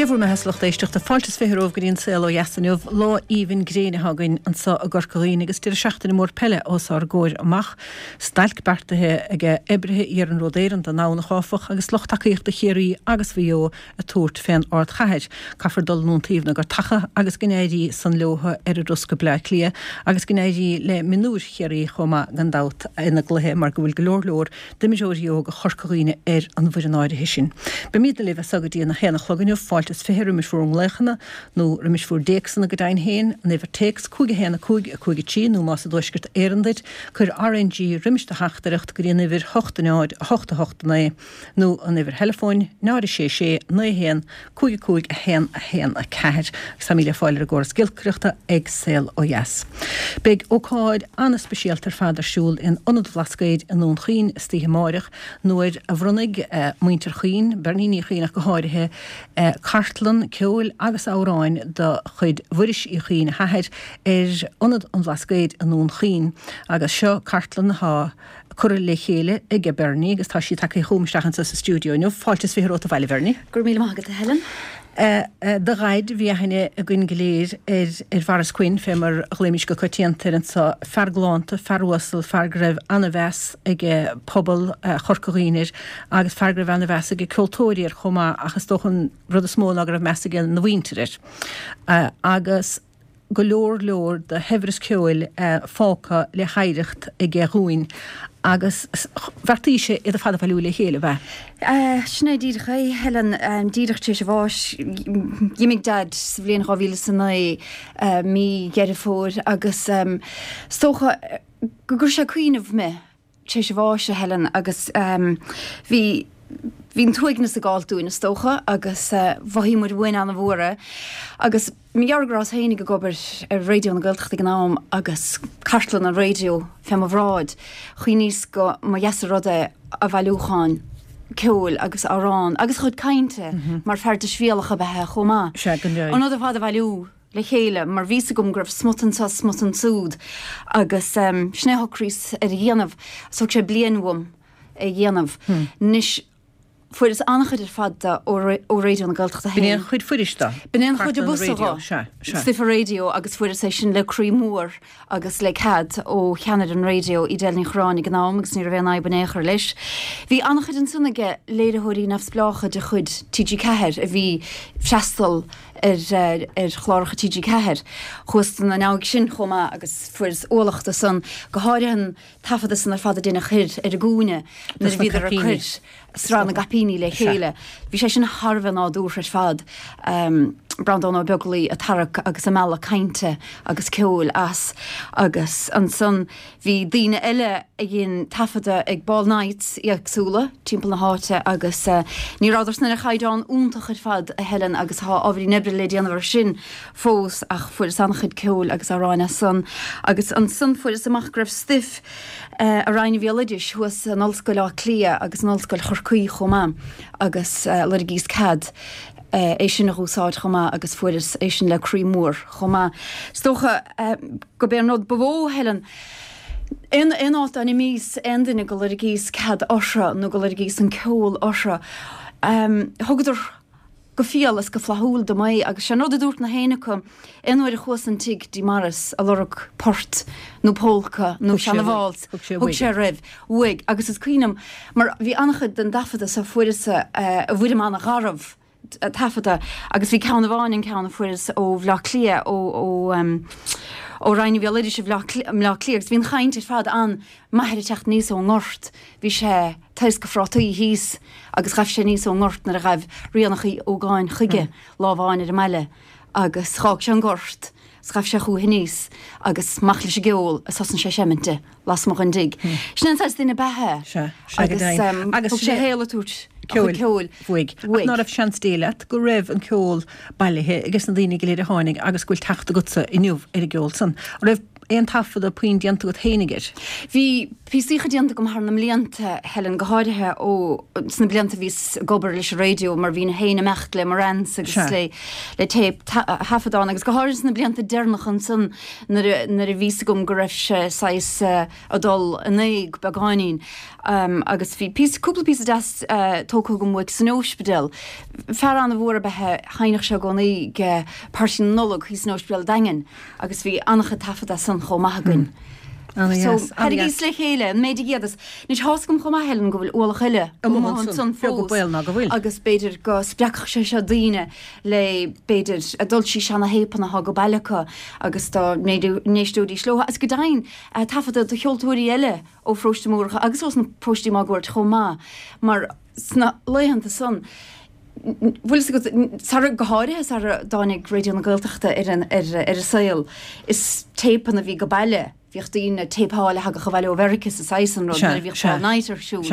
bhur mbeatha a lucht éisteachta, fáilte is 20 romhaibh go dtí an Saol Ó Dheas inniu. Lá aoibhinn gréine atá againn anso i gCorca Dhuibhne agus deireadh seachtaine mór peile os ár gcomhair amach. Stailc beartaithe ag oibrithe Iarnród Éireann don nDomhnach áfach agus lucht tacaíochta Chiarraí agus Mhaigh Eo ag tabhairt fén ardchathair. Caithfear dul in iontaoibh na gCorcaíoch agus go n-éirí san leotha ar a dturas go Bleá Cliath agus go n-éirí le mionúir Chiarraí chomh maith gan dabht ina gcluiche mar go bhfuil go leor leor d'imreoirí óga Chorca Dhuibhne ar an bhfoireann áirithe sin. Beimídne libh as so go dtí an 1 a chlog inniu, fáilte is 20 roimis bhur nglaochanna nó roimis bhur dtéacsanna go deimhin féin, an uimhir téacs 5 1 5 5 3 nó más i dTuaisceart Éireann duit, cuir RNG roimis do theachtaireacht go dtí an uimhir 8 0 8 8 9. nó an uimhir theileafóin, 0 6 6 9 1 5 5 1 1 4, agus táimid le fáil ar an gcóras giolcaireachta ag Saol Ó Dheas. Beidh ócáid an-speisialta ar fad ar siúl in Ionad Bhlascaoid i nDún Chaoin istoíche amáireach nuair a bhronnfaidh muintir Chuinn, Bernie Ní Chuinn ach go háirithe, cartlann ceoil agus amhráin de chuid Mhuiris Uí Chuinn, a hathair, ar Ionad an Bhlascaoid i nDún Chaoin agus seo cartlann atá curtha le chéile aige Bernie agus tá sí tagtha chugam isteach anseo sa stiúideo inniu. Fáilte is 20 romhat abhaile, a Bhernie. Go raibh míle maith agat, a Helen. Do dhaid, bhí aithne againn go léir ar ar Mhaurice Quinn, fé mar a ghlaoimis go coitianta air anseo, fear galánta, fear uasal, fear go raibh ana-mheas ag pobal Chorca Dhuibhne air agus fear go raibh ana-mheas ag ceoltóirí air chomh maith ach is dócha an rud is mó ná go raibh meas ag na mhuintir air. Agus. go leor leor de shaibhreas ceoil fágtha le hoidhreacht aige dhúinn agus bheartaís iad ar fad a bhailiú le chéile, ab ea? Sin é díreach é, Helen. Díreach tar éis a bháis, d'imigh Daid sa bhliain 2009, mí Dheireadh Fómhair, agus is dócha go gcuir sé cuimhneamh mé tar éis a bháis, a Helen, agus bhí, bhí an t-uaigneas ag gabháilt dúinn, is dócha, agus mhothaigh muid uainn an-mhór é. Agus mar gheall go rabhas féinig ag obair ar Raidió na Gaeltachta ag an am agus cartlann an raidió fé mo bhráid, chuimhníos go mba dheas an rud é a bhailiúchán ceoil agus amhrán agus a chuid cainte, mar fear deisbhéalach ab ea é chomh maith, an rud ar fad a bhailiú. le chéile mar bhí 's agam go raibh smut anseo smut ansúd agus sin é a shocraíos ar a dhéanamh. Thóg sé bliain uaim é a dhéanamh. Anois fuaireas an-chuid ar fad de ó Raidió na Gaeltachta féin. B'in é an chuid fuiris de. B'in é an chuid ab fhusa dho. Stuif an raidió agus fuaireas é sin le croí mór agus le cead ó cheannaire an raidió, Edel Ní Chorráin ag an am agus ní raibh aon fhadhb in aon chor leis. Bhí an-chuid ansan aige léiritheoirí neamhspleácha de chuid TG4 a bhí freastal ar chláracha TG4. Chuas ina ndiaidh sin chomh maith agus fuaireas ualach de san, go háirithe an taifeadadh san ar fad a deineadh thoir ar an gCúinne nuair a bhíodar ag cur sraith na gCaipíní le chéile. Bhí sé sin thar a bheith nádúrtha ar fad, Breandán Ó Beaglaoi ag tarrac agus ag mealladh cainte agus ceoil as agus ansan Bhí daoine eile a dhein taifeadadh ag ball nights éagsúla timpeall na háite agus ní rabhadar san ar chaighdeán iontach ar fad, a Helen, agus tá ábhairín oibre le déanamh ar sin fós ach fuaireas an-chuid ceoil agus amhráin as san. Agus ansan fuaireas amach go raibh stuif i Roinn an Bhéaloidis thuas in Ollscoil Átha Cliath agus in Ollscoil Chorcaí chomh maith agus loirgíos cead é sin a dh'úsáid chomh maith agus fuaireas é sin le croí mór chomh maith. Is dócha gurb é an rud ba mhó, Helen, aon aon áit dá n-imíos aon duine go loirgíos cead orthu nó go loirgíos an ceol orthu, thugadar go fial is go flaithiúil dom é agus sé an rud a dúirt na héinne acu aon uair a chuas an tigh dtí Maurice a lorg port nó pólca nó seana-válsa, thug sé roimh uaidh agus is cuimhin liom mar bhí an-chuid den dtaifeadadh so fuaireas i bhfoirm an-gharbh taifeadta agus bhí ceann amháin, an ceann a fuaireas ó Bhleá Cliath, ó ó Roinn an Bhéaloidis i mBleá Cliath agus bhí an chaint ar fad an m'athair ag teacht aníos ón ngort, bhí sé taoscadh phrátaí thíos agus ghaibh sé aníos ón ngort nuair a ghaibh Ríonach Uí Ógáin chuige lá amháin ar an mbaile agus dh'fhág sé an gort 's ghaibh sé chúithi aníos agus amach leis an gceol is thosnaigh sé ag seimint di lasmuigh den dtigh. Sin é an saghas duine ab ea é. Sea, sea go deimhin. Agus thug sé a shaol ag tabhairt a chuid ceoil uaidh. Ach ná raibh seans Dé leat go raibh an ceol bailithe ages na daoine go léir a tháinig agus go bhfuil teacht agatsa inniu ar an gceol san. An raibh. aon taifeadadh puinn déanta agat fhéinig air? Bhí píosaíocha déanta agam thar na mblianta, Helen, go háirithe ó sna blianta a bhíos ag obair leis an raidió mar bhínn féin ag imeacht le Marantz agus le le téip thaifeadán agus go háirithe sna blianta deireanacha ansan nuair a nuair a bhí fhios agam go raibh sé saghas ag dul in éag beagáinín agus bhí píosa cúpla píosa deas tógtha agam uaidh san óispidéal. Fear an-mhór ab ea é, sheinneadh sé i gcónaí ag Páirtí na Nollag thíos san Óispidéal Daingean. Agus bhí an-chuid taifead as san chomh maith againn. Ana-dheas, So, thairrigíos le chéile an méid a d'fhéadas. Anois, tá's agam chomh maith, Helen, go bhfuil ualach eile amuigh ansan fós baol ná go bhfuil. agus b'fhéidir go spreagfadh sé seo daoine le, b'fhéidir, a dul síos seana-théipeanna atá go baile acu agus dá n-éisteoidís leo. Agus go deimhin, taifeadta de cheoltóirí eile ó pharóistí Mhúrcha agus ós na paróistí máguaird chomh maith, mar sna laethanta san, bhfuil fhios agat, sara, go háirithe sara dtáinig Raidió na Gaeltachta ar an, ar, ar an saol, is téipeanna a bhí go baile, bhíodh daoine ag téipeáil a thagadh abhaile ó Mheirice sa saghas san rud nuair a bhíodh Paul Knight ar siúl.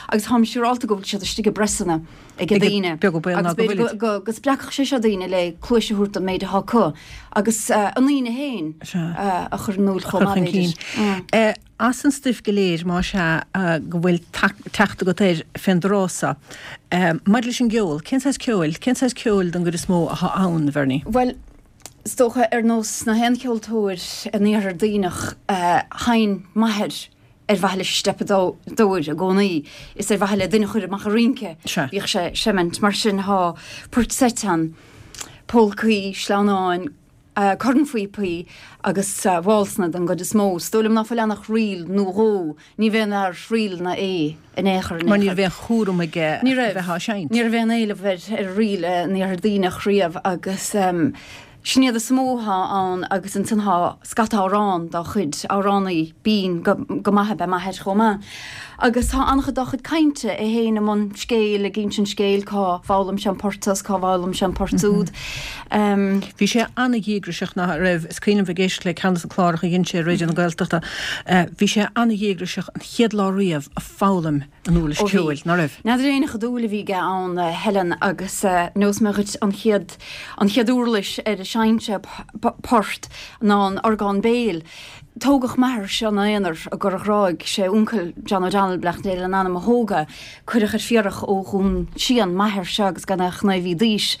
Agus táim siúrálta go bhfuil siad istigh i bpresanna ag daoine. Beag an baol ná go bhfuil. Agus b'fhéidir go, go spreagfadh sé seo daoine le cluais a thabhairt don méid atá acu agus a ndaoine féin a chur in iúl chomh maith b'fhéidir. As an stuif go léir, más ea go bhfuil teacht agat air fén dtráth so, maidir leis an gceol, cén saghas ceoil, cén saghas ceoil don gcuid is mó athá ann, a Bhernie? Bhuel, is dócha, ar nós na haon cheoltóir in Iarthar Duibhneach, sheinn m'athair ar mhaithe leis an steipeadóir i gcónaí, is ar mhaithe le duine a chur amach a rince bhíodh sé ag seimint. Mar sin, thá poirt seit ann, pólcaí, sleamhnáin, cornphíopaí agus válsanna den gcuid is mó. Is dóigh liom ná fuil ann ach ríl nó dhó. Ní bh'aon fhear ríleanna é in aon chor in aon chor. Mar ní raibh aon chúram aige a bheith á seinnt. Ní raibh aon éileamh ar ríl in Iarthar Duibhneach riamh agus sin iad is mó athá ann agus ansan thá scata amhrán dá chuid, amhránaí binn go maith ab ea m'athair chomh maith. Agus tá an-chuid dá chuid cainte, é féin i mbun scéil, ag insint scéil, cá bhfoghlaim sé an port seo 's cá bhfoghlaim sé an port úd. Bhí sé an-dhíograiseach, nach raibh? Is cuimhin liom bheith ag éisteacht le ceann de na cláracha a dhein sé ar Raidió na Gaeltachta. Bhí sé an-dhíograiseach an chéad lá riamh a foghlaim an uirlis ceoil, ná raibh? N'fheadar éinne cha dúil a bhí aige ann, Helen, agus neosfaidh mé dhuit an chéad, an chéad uirlis ar a sheinn sé port ná an orgán béil. Tógadh m'athair seo ina aonar i gCora Ghráig, sé uncail John O'Donnell, beannacht Dé lena anam, a thóg é. Cuireadh ar fiarach ó Dhún Síon m'athair seo agus gan é ach naoi mhí d'aois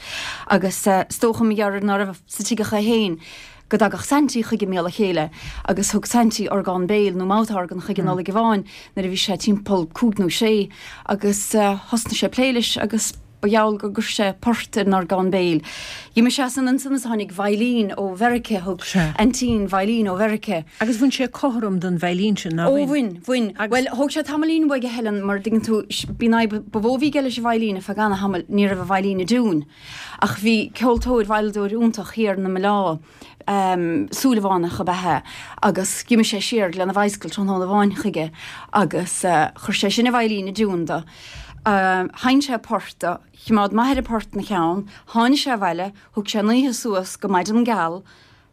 agus is dócha mar gheall ar ná raibh sa tigh ach é féin go dtagadh Saintí chuige i mbéal a chéile agus thug Saintí orgán béil nó mouth organ chuige Nollaig amháin nuair a bhí sé timpeall cúig nó sé agus thosnaigh sé ag plé leis agus Ba gheall gur chuir sé port ar an orgán béil. D'imigh sé san ansan is tháinig veidhlín ó Mheirice, thug aintín veidhlín ó Mheirice. Agus bhain sé cothrom don veidhlín sin, nár bhain? Ó bhain, bhain. Bhuel, thóg sé tamaillín uaidh, a Helen, mar dtuigeann tú, b'í an fhadhb ba mhó a bhí aige leis an veidhlín ar feadh ana-thamaill, ní raibh an veidhlín i dtiúin. Ach bhí ceoltóir, veidhleadóir iontach thiar na Mealá, Súilleabhánach ab ea é, agus d'imigh sé siar lena bhicycle tráthnóna amháin chuige agus chuir sé sin an veidhlín i dtiúin do. Sheinn sé port do, choimeád m'athair an port ina cheann, tháinig sé abhaile, thug sé an oíche suas go maidin geal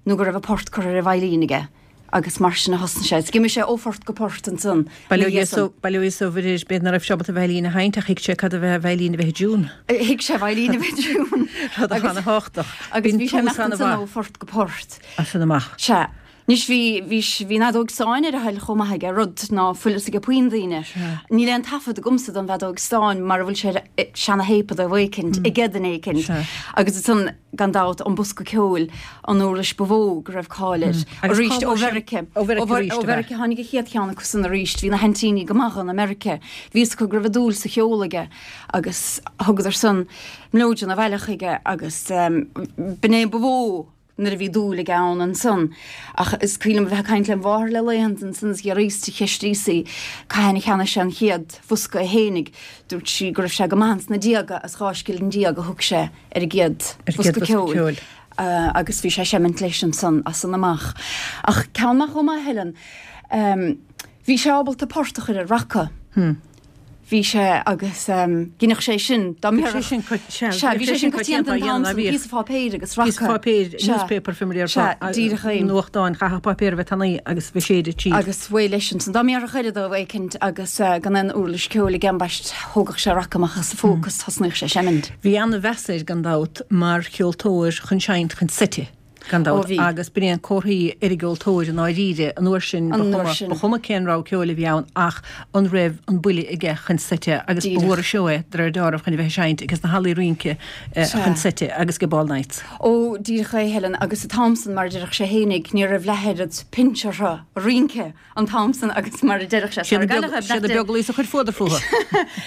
nó go raibh an port curtha ar an veidhlín aige agus mar sin a thosnaigh sé. D'imigh sé ó phort go port ansan Bail ó Dhia is ó Mhuire air, b'fhéidir ná raibh sé ábalta veidhlín a sheinnt ach thuig sé cad a bheith veidhlín a bheith i dtiún. Thuig sé veidhlín a bheith i dtiún. Rud ana-thábhachtach. Agus bhí sé ag imeacht ansan ó phort go port. As san amach. Sea. Anois bhí, bhí, bhí an fheadóg stáin ar a thoil chomh maith aige, rud ná fuil fhios ag puinn daoine. Níl aon taifead agamsa den bhfeadóg stáin mara bhfuil sé ar seana-théipeanna éicint, ag duine éicint. Agus ansan, gan dabht, an bosca ceoil, an uirlis ba mhó go raibh cáil air. Arís ó Mheirice. Ó Mheirice tháinig an chéad cheann acu san arís. Bhí na haintíní go maith in America. Bhí fhios acu go raibh dúil sa cheol aige agus thugadar san mileoidean abhaile chuige agus b'in é ba mhó nuair a bhí dúil aige ann ansan. Ach is cuimhin liom a bheith ag caint lem mháthair le laethanta ansan is dh'fhiafraíos di, cheistíos í cathain a cheannaigh sé an chéad bhosca é fhéinig. Dúirt sí go raibh sé go maith ins na déaga is 12 scilling a thug sé ar an gcéad bhosca ceoil agus bhí sé ag seimint leis ansan as san amach. Ach ceann maith chomh maith, Helen, bhí sé ábalta port a chur ar raca. Bhí sé agus dheineadh sé sin dá mbéarfadh. Bhí sé sin coitianta. Sea, bhí sé sin coitianta an t-am san, píosa pháipéir agus raca. Píosa páipéir, newspaper fé mar a déarfá. Sea, díreach é. Nuachtáin, chaithfeadh páipéar a bheith tanaí agus bheith séidte tríd. Agus uaidh leis ansan. Dá mbéarfadh aire dó éicint agus gan aon uirlis ceoil aige ambaist, thógadh sé raca amach as a phóca is thosnaíodh sé ag seimint. Bhí an-mheas air gan dabht mar cheoltóir chun seinnt chun seite. Gan dabht, agus b'in é an comharthaí ar an gceoltóir i ndáiríre, an uair sin, ba chuma, ba chuma cén rogha ceoil a bhí ann ach an raibh an buille aige chun seite agus ba mhór an seó é, de réir dealraimh, chun a bheith ag seinnt aige sna hallaí rince chun seite agus ag ball nights. Ó, díreach é, Helen, agus an t-am san, mar a déarfadh sé fhéinig, ní raibh leath oiread pinse orthu a rince an t-am san agus mar a déarfadh sé, sara gcailleadh é, Siad na beaglaois a chuir fuadar fúthu.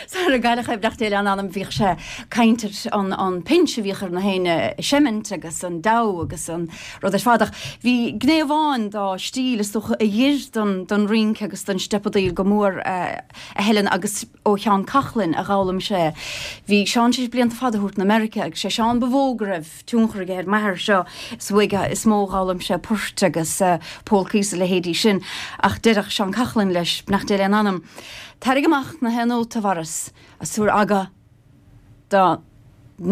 Sara gcailleadh é, beannacht Dé lena anam, bhíodh sé ag caint ar an pinse a bhíodh ar na héinne ag seimint agus an deabhadh agus an rud ar fad ach bhí gné amháin dá stíl is dócha a d'oir don rince agus don steipeadaíl go mór a Helen agus ó Sheán Coughlan a dh'fhoghlaim sé. Bhí Seán tar éis blianta fada a thabhairt na Meiriceá agus sé Seán ba mhó go raibh tionchar aige ar m'athair seo is uaidh is mó a dh'fhoghlaim sé poirt agus pólcaí is a leithéidí sin ach deireadh Seán Coughlan leis, beannacht Dé lena anam, Tarraing amach na haon nóta a Mhaurice agus tabhair aga don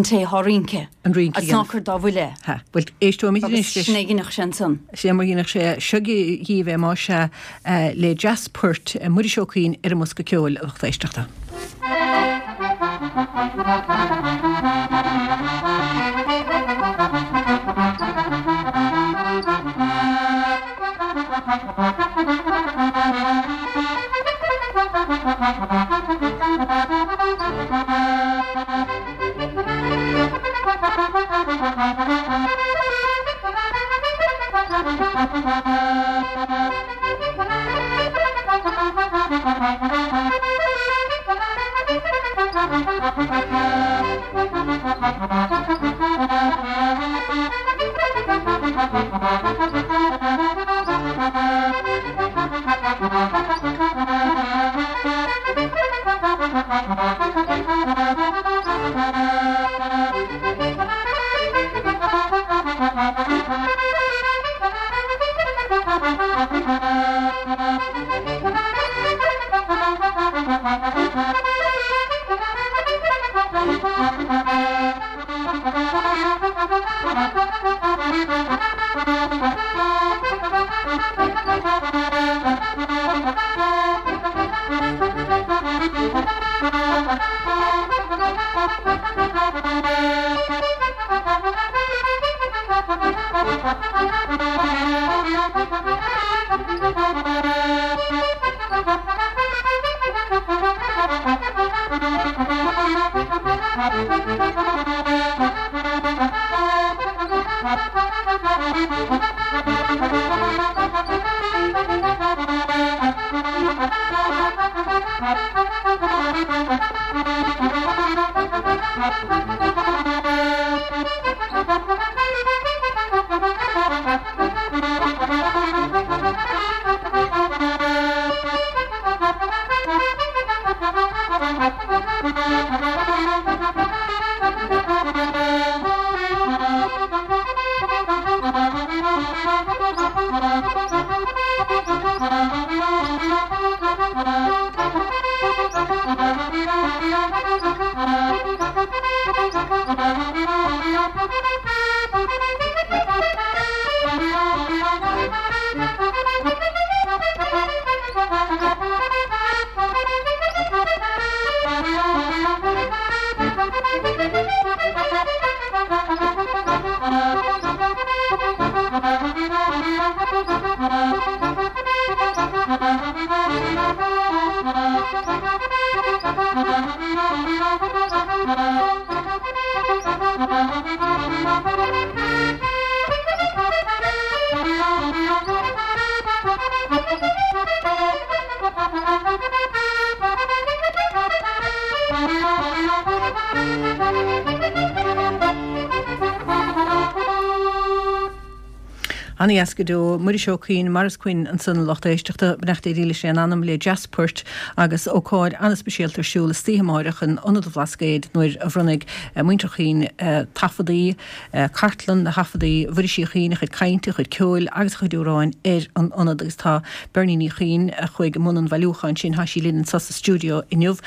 té thá rince An rince agus ná cuir dá bhuille é. Ha, bhuel, éisteoimid anois leis. Agus sin é a dheineadh sé ansan. Sin é mar a dheineadh sé. Seo dhíbh é, más ea, le dreas poirt Muiris Ó Cuinn ar an mbosca ceoil, a lucht éisteachta. Ana-dheas go deo. Muiris Ó Cuinn, Maurice Quinn ansan a lucht éisteachta, beannacht Dé dílis lena anam, le dreas poirt agus ócáid an-speisialta ar siúl istoíche amáireach in Ionad an Bhlascaoid nuair a bhronnfaidh muintir Chuinn taifeadaí, cartlann de thaifeadaí Mhuiris Uí Chuinn, a chuid cainte, a chuid ceoil agus a chuid amhráin ar an Ionad agus tá Bernie Ní Chuinn a chuaigh i mbun an bhailiúcháin sin, tá sí linn anso sa stiúideo inniu.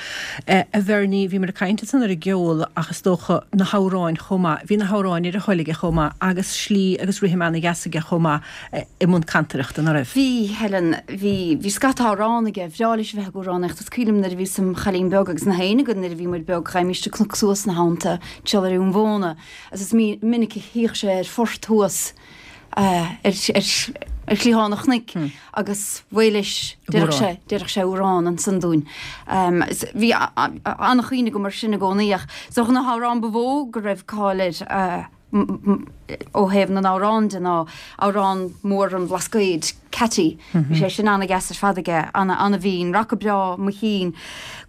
A Bhernie, bhíomar ag caint ansan ar an gceol ach is dócha na hamhráin chomh maith. Bhí na hamhráin ar a thoil aige chomh maith agus slí agus rithim ana-dheas aige chomh maith i mbun cantaireachta, ná raibh? Bhí, Helen. Bhí, bhí scata amhrán aige. Bhreá leis a bheith ag amhránaíocht. Is cuimhin liom nuair a bhíos im chailín beag agus na héinne againn nuair a bhí muid beag, ghabhaimis an cnoc suas ina theannta, timpeall ar Dhún Bhóna, agus is minic a shuíodh sé ar phort thuas. Ar chliathán an chnoic agus mhaith leis, déarfadh sé, déarfadh sé amhrán ansan dúinn. Bhí an-chuimhne agam air sin i gcónaí ach is dócha na hamhráin ba mhó go raibh cáil air ó thaobh na n-amhrán de ná amhrán mór an Bhlascaoid, Ceaití. Bhí sé sin an-dheas ar fad aige, an-bhinn, Raca Breá Mo Chinn,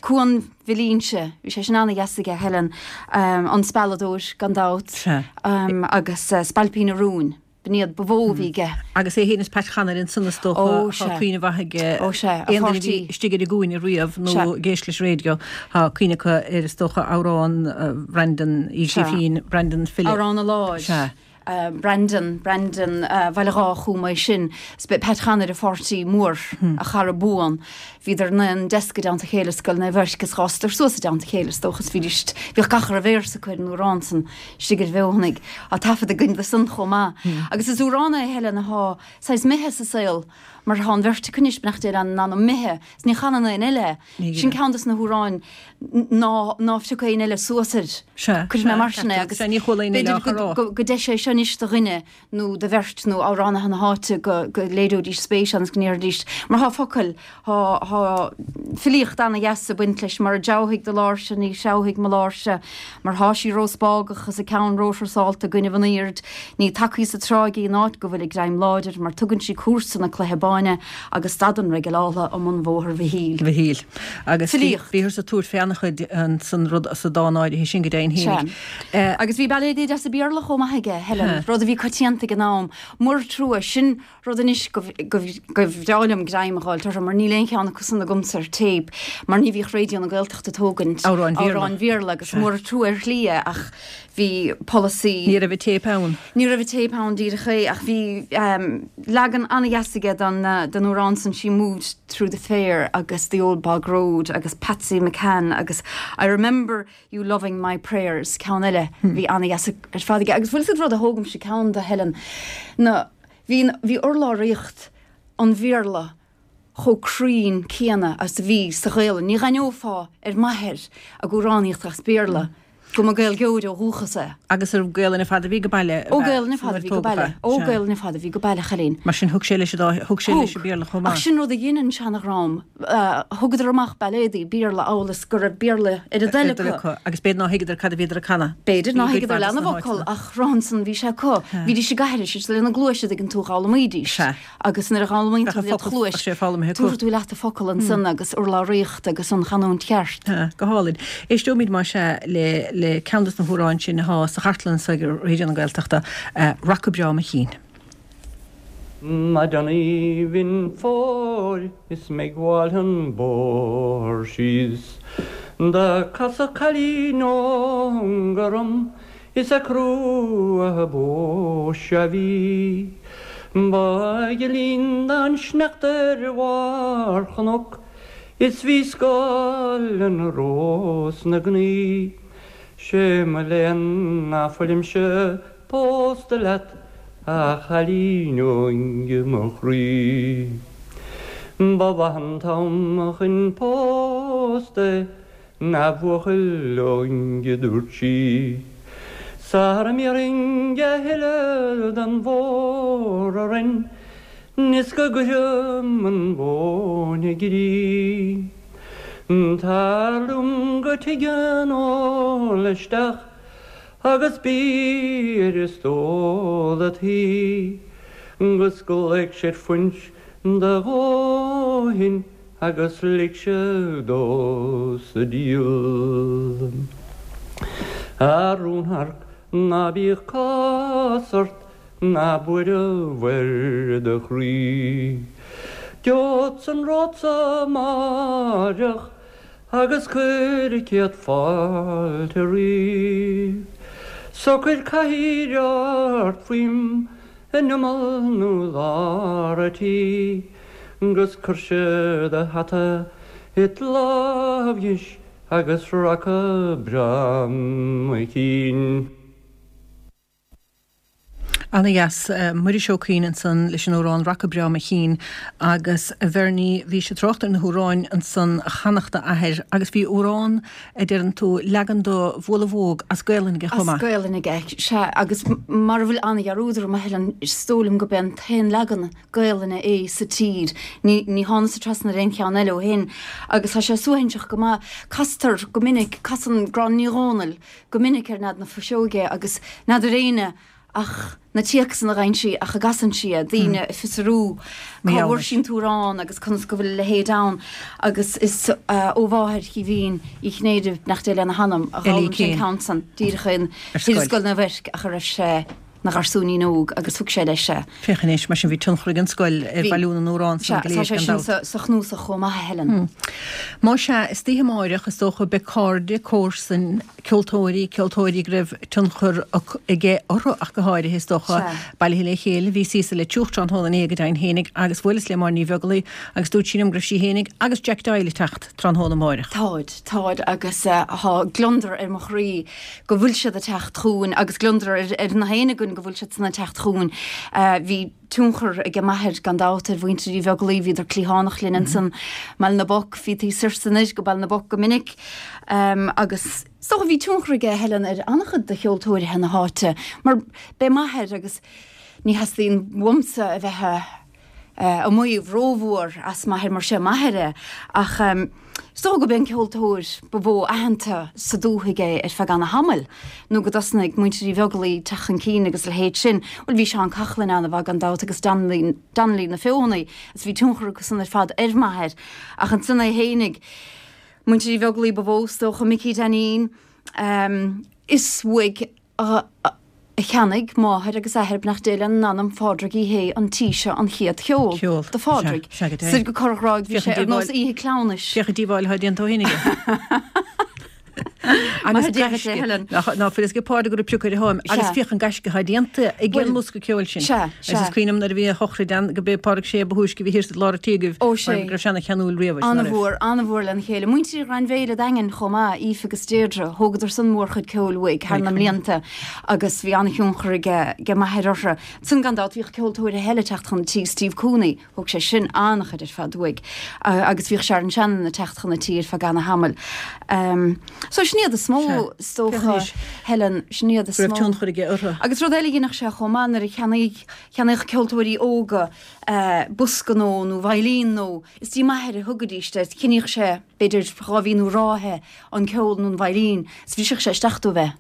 Cuan Mhill Inse, bhí sé sin an-dheas aige, Helen, An Spealadóir, gan dabht, agus Spailpín an Rúin, b'in iad ba mhó a bhí aige. Agus é féin is Pat Chonaire ansan is dócha, tá cuimhne mhaith ag Ó sea, a aon duine a bhí pháirtí. istigh ar an gcúinne riamh nó Sea. ag éisteacht leis an raidió, tá cuimhne acu ar is dócha amhrán Bhreandan Uí Sea. Ghrífín, Breandan File. Amhrán an Láir. Sea. Breandan, Breandan Bhaile Dhá Chúma é sin. 'S b'é Pat Chonaire a pháirtí mór, a chara buan. Bhíodar ina ndeasc i dteannta a chéile i Scoil Naomh Eirc is dh'fhásadar suas i dteannta a chéile is dócha is bhídís, bhíodh gach a raibh véarsa acu ar an amhrán san istigh ar Bheothanaigh. Tá taifead againn de san chomh maith. Agus is amhrán é Helen athá saghas imithe sa saol mar thá an bheirt acu anois, beannacht Dé lena n-anam, imithe is ní chanann aon eile é. Sin ceann dos na hamhráin ná ná phioc aon eile suas air. Sea, Cuirfidh mé mar sin é agus sea, ní chuala aon eile á b'fhéidir chur á. go go deis é seo anois do dhuine nó do bheirt nó amhránaithe na háite go go léireoidís spéis ann agus go ndéarfaidís mar thá focail, thá thá filíocht ana-dheas ag baint leis mura dtreabhfaidh do láirse ní threabhfaidh mo láirse mar thá sí róspágach is a ceann róthrasáilte i gcoinnibh an aoird ní tacaí sa tráigh í in áit go bhfuil a greim láidir mar tugann sí cúrsa na cloiche báine agus stadann reigealála i mbun Bhóthar Mhichíl. Mhichíl. Agus Filíocht. bhíothar ag tabhairt fé an-chuid san rud, sa dán áirithe sin go deimhin Sea. fhéinig. Eh. Agus bhí bailéidí deasa Béarla chomh maith aige, Helen, Sea. rud a bhí coitianta ag an am. Mór trua, sin rud anois go, go, go bhreá liom greim a dh'fháilt orthu mar níl aon cheann acu san agamsa ar téip mar ní bhíodh Raidió na Gaeltachta ag tógaint Amhráin Bhéarla. amhráin Bhéarla agus Sea. mór trua ar shlí é ach bhí polasaí. Ní raibh an téip ann. Ní raibh an téip ann díreach é ach bhí leagan an-dheas aige den amhrán san She Moved Through the Fair agus The Old Bog Road agus Patsy McCann agus I Remember You Loving My Prayers, ceann eile a bhí an-dheas ar fad aige. Agus bhfuil 'fhios agat rud a thógaimse ceann de Helen ná bhí bhí urlabhraíocht an Bhéarla chomh cruinn céanna agus a bhí sa Ghaelainn. Ní dh'aithneofá ar m'athair ag amhránaíocht as Béarla go mba Gaeilgeoir ó dhúchas é. Agus ar Gaelainn ar fad a bhí go baile? Ó Gaelainn ar fad a bhí go baile. Ó Gaelainn ar fad a bhí go baile, a chailín. Mar sin thug sé leis an dá, thug sé leis an Béarla chomh maith. Ach sin rud a dhein an seanadhream. Thugadar amach bailéadaí Béarla amhail is go raibh Béarla ar a dtoil acu. Agus b'fhéidir ná thuigeadar cad a bhíodar ag canadh. B'fhéidir ná thuigeadar leath na bhfocal ach rothansan bhí sé acu. Bhídís ag aithris is lena gcluais a dtuigeann tú dh'fhoghlaimídís. Agus nuair a dh'fhoghlaimíonn tú led chluais, tabharfaidh tú leat an focal ansan agus urlabhraíocht agus an chanúint cheart. Go hálainn. Éisteoimid más ea le le ceann dos na hamhráin sin athá sa chartlann so ag Raidió na Gaeltachta, Raca Breá Mo Chinn. Maidin aoibhinn fómhair is mé ag gabháil an bóthar síos Do casadh cailín óg orm Is ag crú a boise a bhí. Ba ghil an sneachta ar bharr chnoc is bhí scáil an rós 'na gnaoi. 'Sé mo léan ná fuilimse pósta leat a chailín óig mo chroí. Ba mhaith an t-am chun pósta é A bhuachaill óig a dúirt sí. Sara mbéarfainn a thuilleadh den bhóthar orainn is go gcuirim an mhóin i gcrích. Tar liom go tigh an óil isteach agus bí ar an stól a'd shuí, 'gus glaofaidh siad fuinse do dhóthain Agus lig sé dó sa diabhal. A rúnsharc ná bíodh cás ort ná buaireamh ar do chroí. Gheobhadsa an ród-sa amáireach agus cuir céad fáilte roimh. Socair cathaoir ort faoim in imeall nó lár a' tí. 'Gus cuirse do hata it lámh dheis agus raca breá mo chinn. Ana dheas. Muiris Ó Cuinn ansan leis an amhrán Raca Breá Mo Chinn agus a Bhernie bhís ag trácht ar na hamhráin ansan a chanadh d'athair agus bhí amhrán a deireann tú, leagan de Bhualadh Bhóg as Gaelainn aige chomh maith. As Gaelainn aige, sea, agus mara bhfuil ana-dhearúd orm a Helen, is dóigh liom gurb é an t-aon leagan Gaelainne é sa tír. Ní, ní thánasa trasna ar aon cheann eile ó shin agus tá sé suaithinseach go maith. Castar go minic, casann Gráinne Ní Dhomhnaill go minic ar Nead na Fuiseoige agus n'fheadar éinne ach na téacsanna a fhaigheann sí ach a gcasann sí é, daoine ag fiosrú cá bhfuair sí an t-amhrán agus conas go bhfuil a leithéid ann agus is ó mháthair Chaoimhín Uí Chinnéide, beannacht Dé lena hanam, a d'fhoghlaim sé an ceann san díreach in thiar i Scoil Naomh Eirc ach a raibh sé 'na gharsúinín óg agus thug sé leis é. Féach anois, mar sin bhí tionchar ag an scoil ar bhailiú na n-amhrán san go léir, gan dabht. Sea, tá sé sin sa chnuasach chomh maith, a Helen. Má sea, istoíche amáireach, is dócha, beidh cairde, comharsain, ceoltóirí, ceoltóirí go raibh tionchar aige orthu ach go háirithe, is dócha, bailithe le chéile. Bhíos thíos i Leitir tráthnóna inné go deimhin fhéinig agus bhuaileas le Máire Ní Bheaglaoi agus dúirt sí liom go raibh sí fhéinig agus Jack Doyle ag teacht tráthnóna amáireach. Táid, táid agus tá gliondar ar mo chroí go bhfuil siad ag teacht chugainn agus gliondar ar na héinne againn go bhfuil siad san ag teacht chugainn. Bhí tionchar ag m'athair gan dabht ar mhuintir Uí Bheaglaoi, bhíodar cliathánach linn ansan mBaile na bPoc, bhítí soir 's anoir go Baile na bPoc go minic agus is dócha bhí tionchar aige Helen ar an-chuid de cheoltóirithe na háite mar b'é m'athair agus ní theastaíonn uaimsa a bheith a maíomh rómhór as m'athair mar sé m'athair é ach is dócha go b'é an ceoltóir ba mhó aitheanta sa dúthaigh é ar feadh ana-thamaill nó go dtosnaigh muintir Uí Bheaglaoi teacht chun cinn agus a leithéid sin. Bhuel bhí Seán Coughlan ana-mhaith gan dabht agus Donnelly, Donnelly na Feothanaí agus bhí tionchar acu san ar fad ar m'athair ach ansan é fhéinig, muintir Uí Bheaglaoi ba mhó is dócha, Micí Dainín, is uaidh a cheannaigh máthair agus athair, beannacht Dé lena n-anam, Phádraig Uí Shé an tí seo an chéad cheol do Phádraig. Soir go Corr Ghráig bhí sé ar nós oíche cleamhnais. Féach an díobháil atá déanta ó shin aige. Agus gaisce. Ná fuil fhios ag Pádraig go raibh prioc ar a thóin agus féach an gaisce atá déanta ag an mbosca ceoil sin. Agus is cuimhin liom nuair a bhí a shochraid ann go b'é Pádraig Sé ba thúisce a bhí thiar sa lár an tí agaibh mar go raibh sé ana cheanúil riamh is ná raibh. An-mhór, an-mhór lena chéile. Muintir Ghrainbhéile Daingean chomh maith, Aoife agus Deirdre, thógadar san mórchuid ceoil uaidh thar na mblianta agus bhí an-thionchar aige m'athair orthu. Ansan gan dabht bhíodh ceoltóirí eile ag teacht chun an tí, Steve Cooney, Thóg sé sin an-chuid ar fad uaidh agus bhíodh Sharon Shannon ag teacht chun an tí ar feadh ana-thamaill. So sin iad is mó, is dócha, Helen, sin iad is mó. Go raibh tionchar aige orthu. Agus rud eile a dhéanadh sé chomh maith nuair a cheannaíodh, cheannaíodh ceoltóirí óga bosca nó nó veidhlín nó is dtí m'athair a thugaidís é, cheannaíodh sé b'fhéidir 2 mhí nó ráithe an ceol nó an veidhlín is bhriseadh sé isteach dóibh é.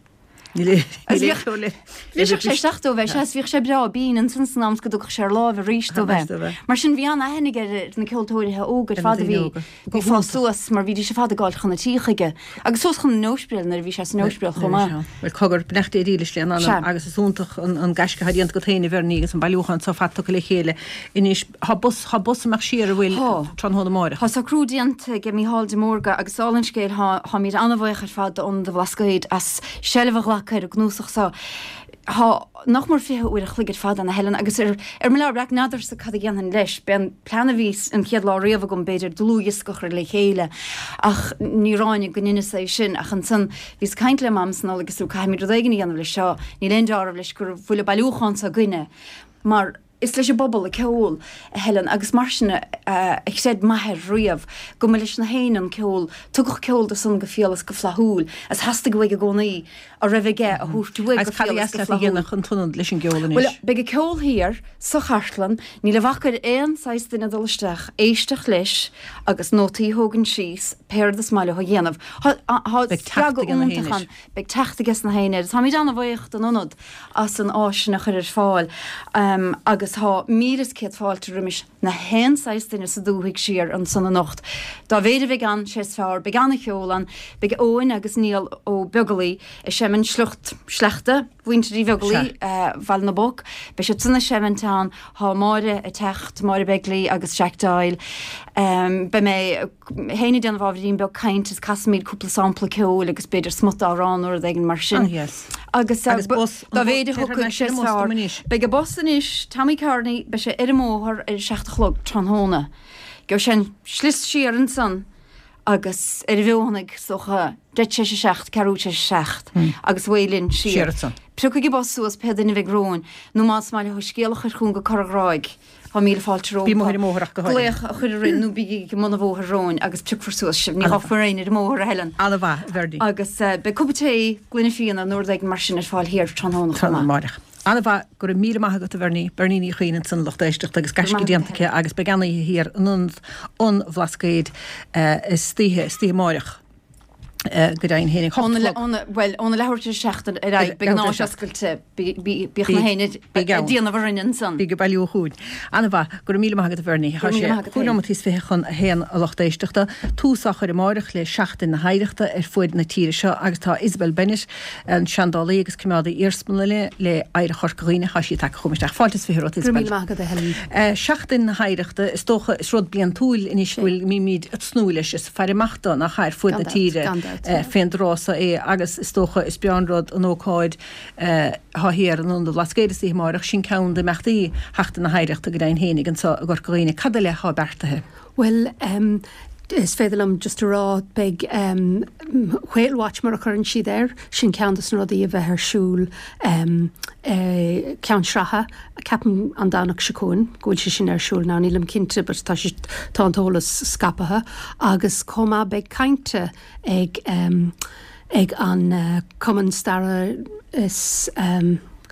Bhriseadh sé isteach dóibh é, sea, is bhíodh sé breá binn ansan san am is go dtugadh sé ar láimh arís dóibh é. Mar sin bhí an-aithne aige ar na ceoltóirithe óga ar fad a bhí ag fás suas mar bhídís ar fad ag gabháil chun an tí chuige agus suas chun an Ospidéil nuair a bhí sé san Ospidéal chomh maith. Bhuel cogar, beannacht Dé dílis lena anam agus is iontach an gaisce atá déanta agat féin a Bhernie agus an bailiúchán so fad tugtha le chéile anois. Thá bus, thá bus amach siar an bhfuil tráthnóna amáireach. Thá socrú déanta ag Mícheál de Mórdha agus dála an scéil thá, tháimíd ana-bhaoch ar fad d'Ionad an Bhlascaoid as seilbh a ghlacadh ar an gcnuasach so. Thá nach mór 20 uair a chloig ar fad ann a Helen agus ar, ar mo leabhar breac n'fheadarsa cad a dhéanfainn leis. B'é an plean a bhí an chéad lá riamh agam b'fhéidir dlúthdhiosca a chur le chéile ach ní ráinig go ndeineas é sin ach ansan bhíos ag caint le Mam san Nollaig is dúirt caithfimid rud éigin a dhéanamh leis seo, níl aon deáramh leis go bhfuil an bailiúchán so againne mar Is leis an bpobal an ceol, a Helen, agus mar sin a chreid m'athair riamh, go mba leis na héinne an ceol. Tugadh ceol dó san go fial is go flaithiúil, is theastaigh uaidh i gcónaí a raibh aige a thabhairt uaidh go fial is go flaithiúil. Agus cad a dheas leat a dhéanamh an t-ionad leis an gceol anois? Bhuel, beidh an ceol thiar sa chartlann, níl a bhac ar aon saghas duine dul isteach, éisteacht leis agus nótaí a thógaint síos, pé rud is maith leo a dhéanamh. Tá spreagadh iontach ann. Beidh teacht aige na héinne air. Táimid ana-bhaoch don Ionad as an áis sin a chur ar fáil agus thá 1,100 fáilte roimis na haon saghas duine sa dúthaigh siar ansan anocht. Dá mhéid a bheidh ann, sé is fearr. Beidh ana-cheol ann. Beidh Eoin agus Niall Ó Beaglaoi ag seimint sliocht, sleachta mhuintir Uí Bheaglaoi, Bhaile na bPoc. Beidh siad san ag seimint ann. Thá Máire ag teacht, Máire Begley agus Jack Doyle. Beidh mé. Féin ag déanamh ábhairín beag cainte is casfaimid cúpla sampla ceoil agus b'fhéidir smut amhrán nó rud éigin mar sin. Agus bus, dá mhéid a thiocfaidh sé is fearr. Beidh an bus anois, Tommy Kearney, beidh sé ar an mbóthar ar a seacht a chlog tráthnóna. Gheobhaidh sé an slios siar ansan agus ar an bhFeothanaigh is dócha deich tar éis a 7, ceathrú tar éis a 7 agus away linn siar. Piocaigí bus suas pé duine a bheidh romhainn, nó más maith leo scéal a chur chugainn go Cora Ghráig, tá míle fáilte rompu. Bí amuigh ar an mbóthar ach go háirithe. Glaoch a chur orainn nó bígí ag an mbun an bhóthair romhainn agus piocfar suas sibh. Ní fhágfar éinne ar an mbóthar, a Helen. Ana-mhaith, a Bhernie. Agus beidh cupa tae, gloine fíona nó rud éigin mar sin ar fáil thiar tráthnóna chomh maith. Amárach. Ana-mhaith, go raibh míle maith agat a Bhernie. Bernie Ní Chuinn ansan lucht éisteachta agus gaisce déanta aici agus beidh an-oíche thiar in Ionad an Bhlascaoid istoíche, istoíche amáireach go deimhin féin ag hocht a chlog. Bhuel, óna leathuair tar éis a 7 ar aghaidh, beidh an áit oscailte, bíodh na héinne ag déanamh orainn ansan. Bígí ag bailiú chugainn. Ana-mhaith, go raibh míle maith agat a Bhernie. Tá sé chúig nóimeataí is 21 a lucht éisteachta. Tús á chur amáireach le Seachtain na hOidhreachta ar fuaid na tíre seo agus tá Isabel Bennett, An seandálaí agus coimeádaí iarsmalainne le Oidhreacht Chorca Dhuibhne, tá sí tagtha chugam isteach. Fáilte is 20 romhat, Isabel. Go raibh míle maith agat, a Helen. Seachtain na hOidhreachta, is dócha, is rud bliantúil anois go bhfuil, mbímid ag tnúth leis, is ag faire amach dó, nach ea, ar fuaid na tíre fén dtráth so é agus is dócha is breá an rud an ócáid atá thiar in Ionad an Bhlascaoid istoíche amáireach, sin ceann d'imeachtaí Sheachtain na hOidhreachta go deimhin féinig anso i gCorca Dhuibhne. Cad eile atá beartaithe? Bhuel, is féidir liom just a rá, beidh Whale Watch mar a chuireann siad air, sin ceann dos na rudaí a bheith ar siúl Ceann Sratha, ceapaim an Domhnach seo chugainn go bhfuil sé sin ar siúl now, nílim cinnte but tá sé, tá an t-eolas scaipthe agus chomh maith beidh cainte ag ag an Cumann Staire is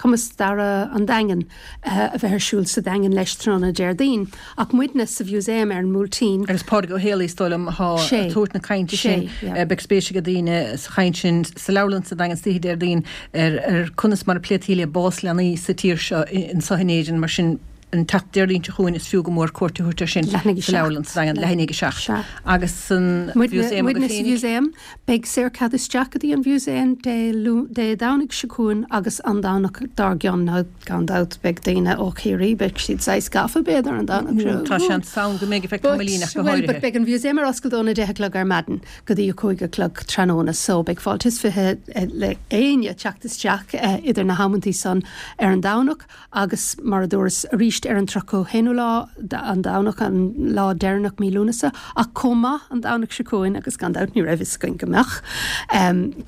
Cumann Staire an Daingin a bheith ar siúl sa Daingean leis tráthnóna Déardaoin. Ach muidne sa Mhúsaem ar an mBuailtín. Agus Pádraig Ó Héalaí is dóigh liom atá ag tabhairt na cainte sin. Beidh spéis ag daoine sa chaint sin sa leabharlann sa Daingean istoíche Déardaoin ar conas mar a pléití le bás leanaí sa tír seo anseo in Éirinn mar sin an tseachtain Déardaoin seo chugainn is fiú go mór cuairt a thabhairt air sin sa leabharlann sa Daingean leath i ndiaidh a 7 agus san Mhúsaem agaibh féinig. Mhúsaem. Beidh saorchead isteach go dtí an Mhúsaem Dé Dé Domhnaigh seo chugainn agus an Domhnach dár gcionn. Now gan dabht beidh daoine ó Chiarraí, beidh siad saghas gafa b'fhéidir an Domhnach seo. Tá seans ann go mbeidh ar feadh tamaillín ach go háirithe. But beidh an Mhúsaem ar oscailt óna 10 a chlog ar maidin go dtí a 5 a chlog tráthnóna so beidh fáilte is 20 le éinne teacht isteach idir na hamantaí san ar an Domhnach. Agus mar a dúras arís ar an 31ú lá, an Domhnach, an lá deireanach mí Lúnasa, ach chomh maith an Domhnach seo chugainn, agus gan dabht ní raibh fhios againn go mbeadh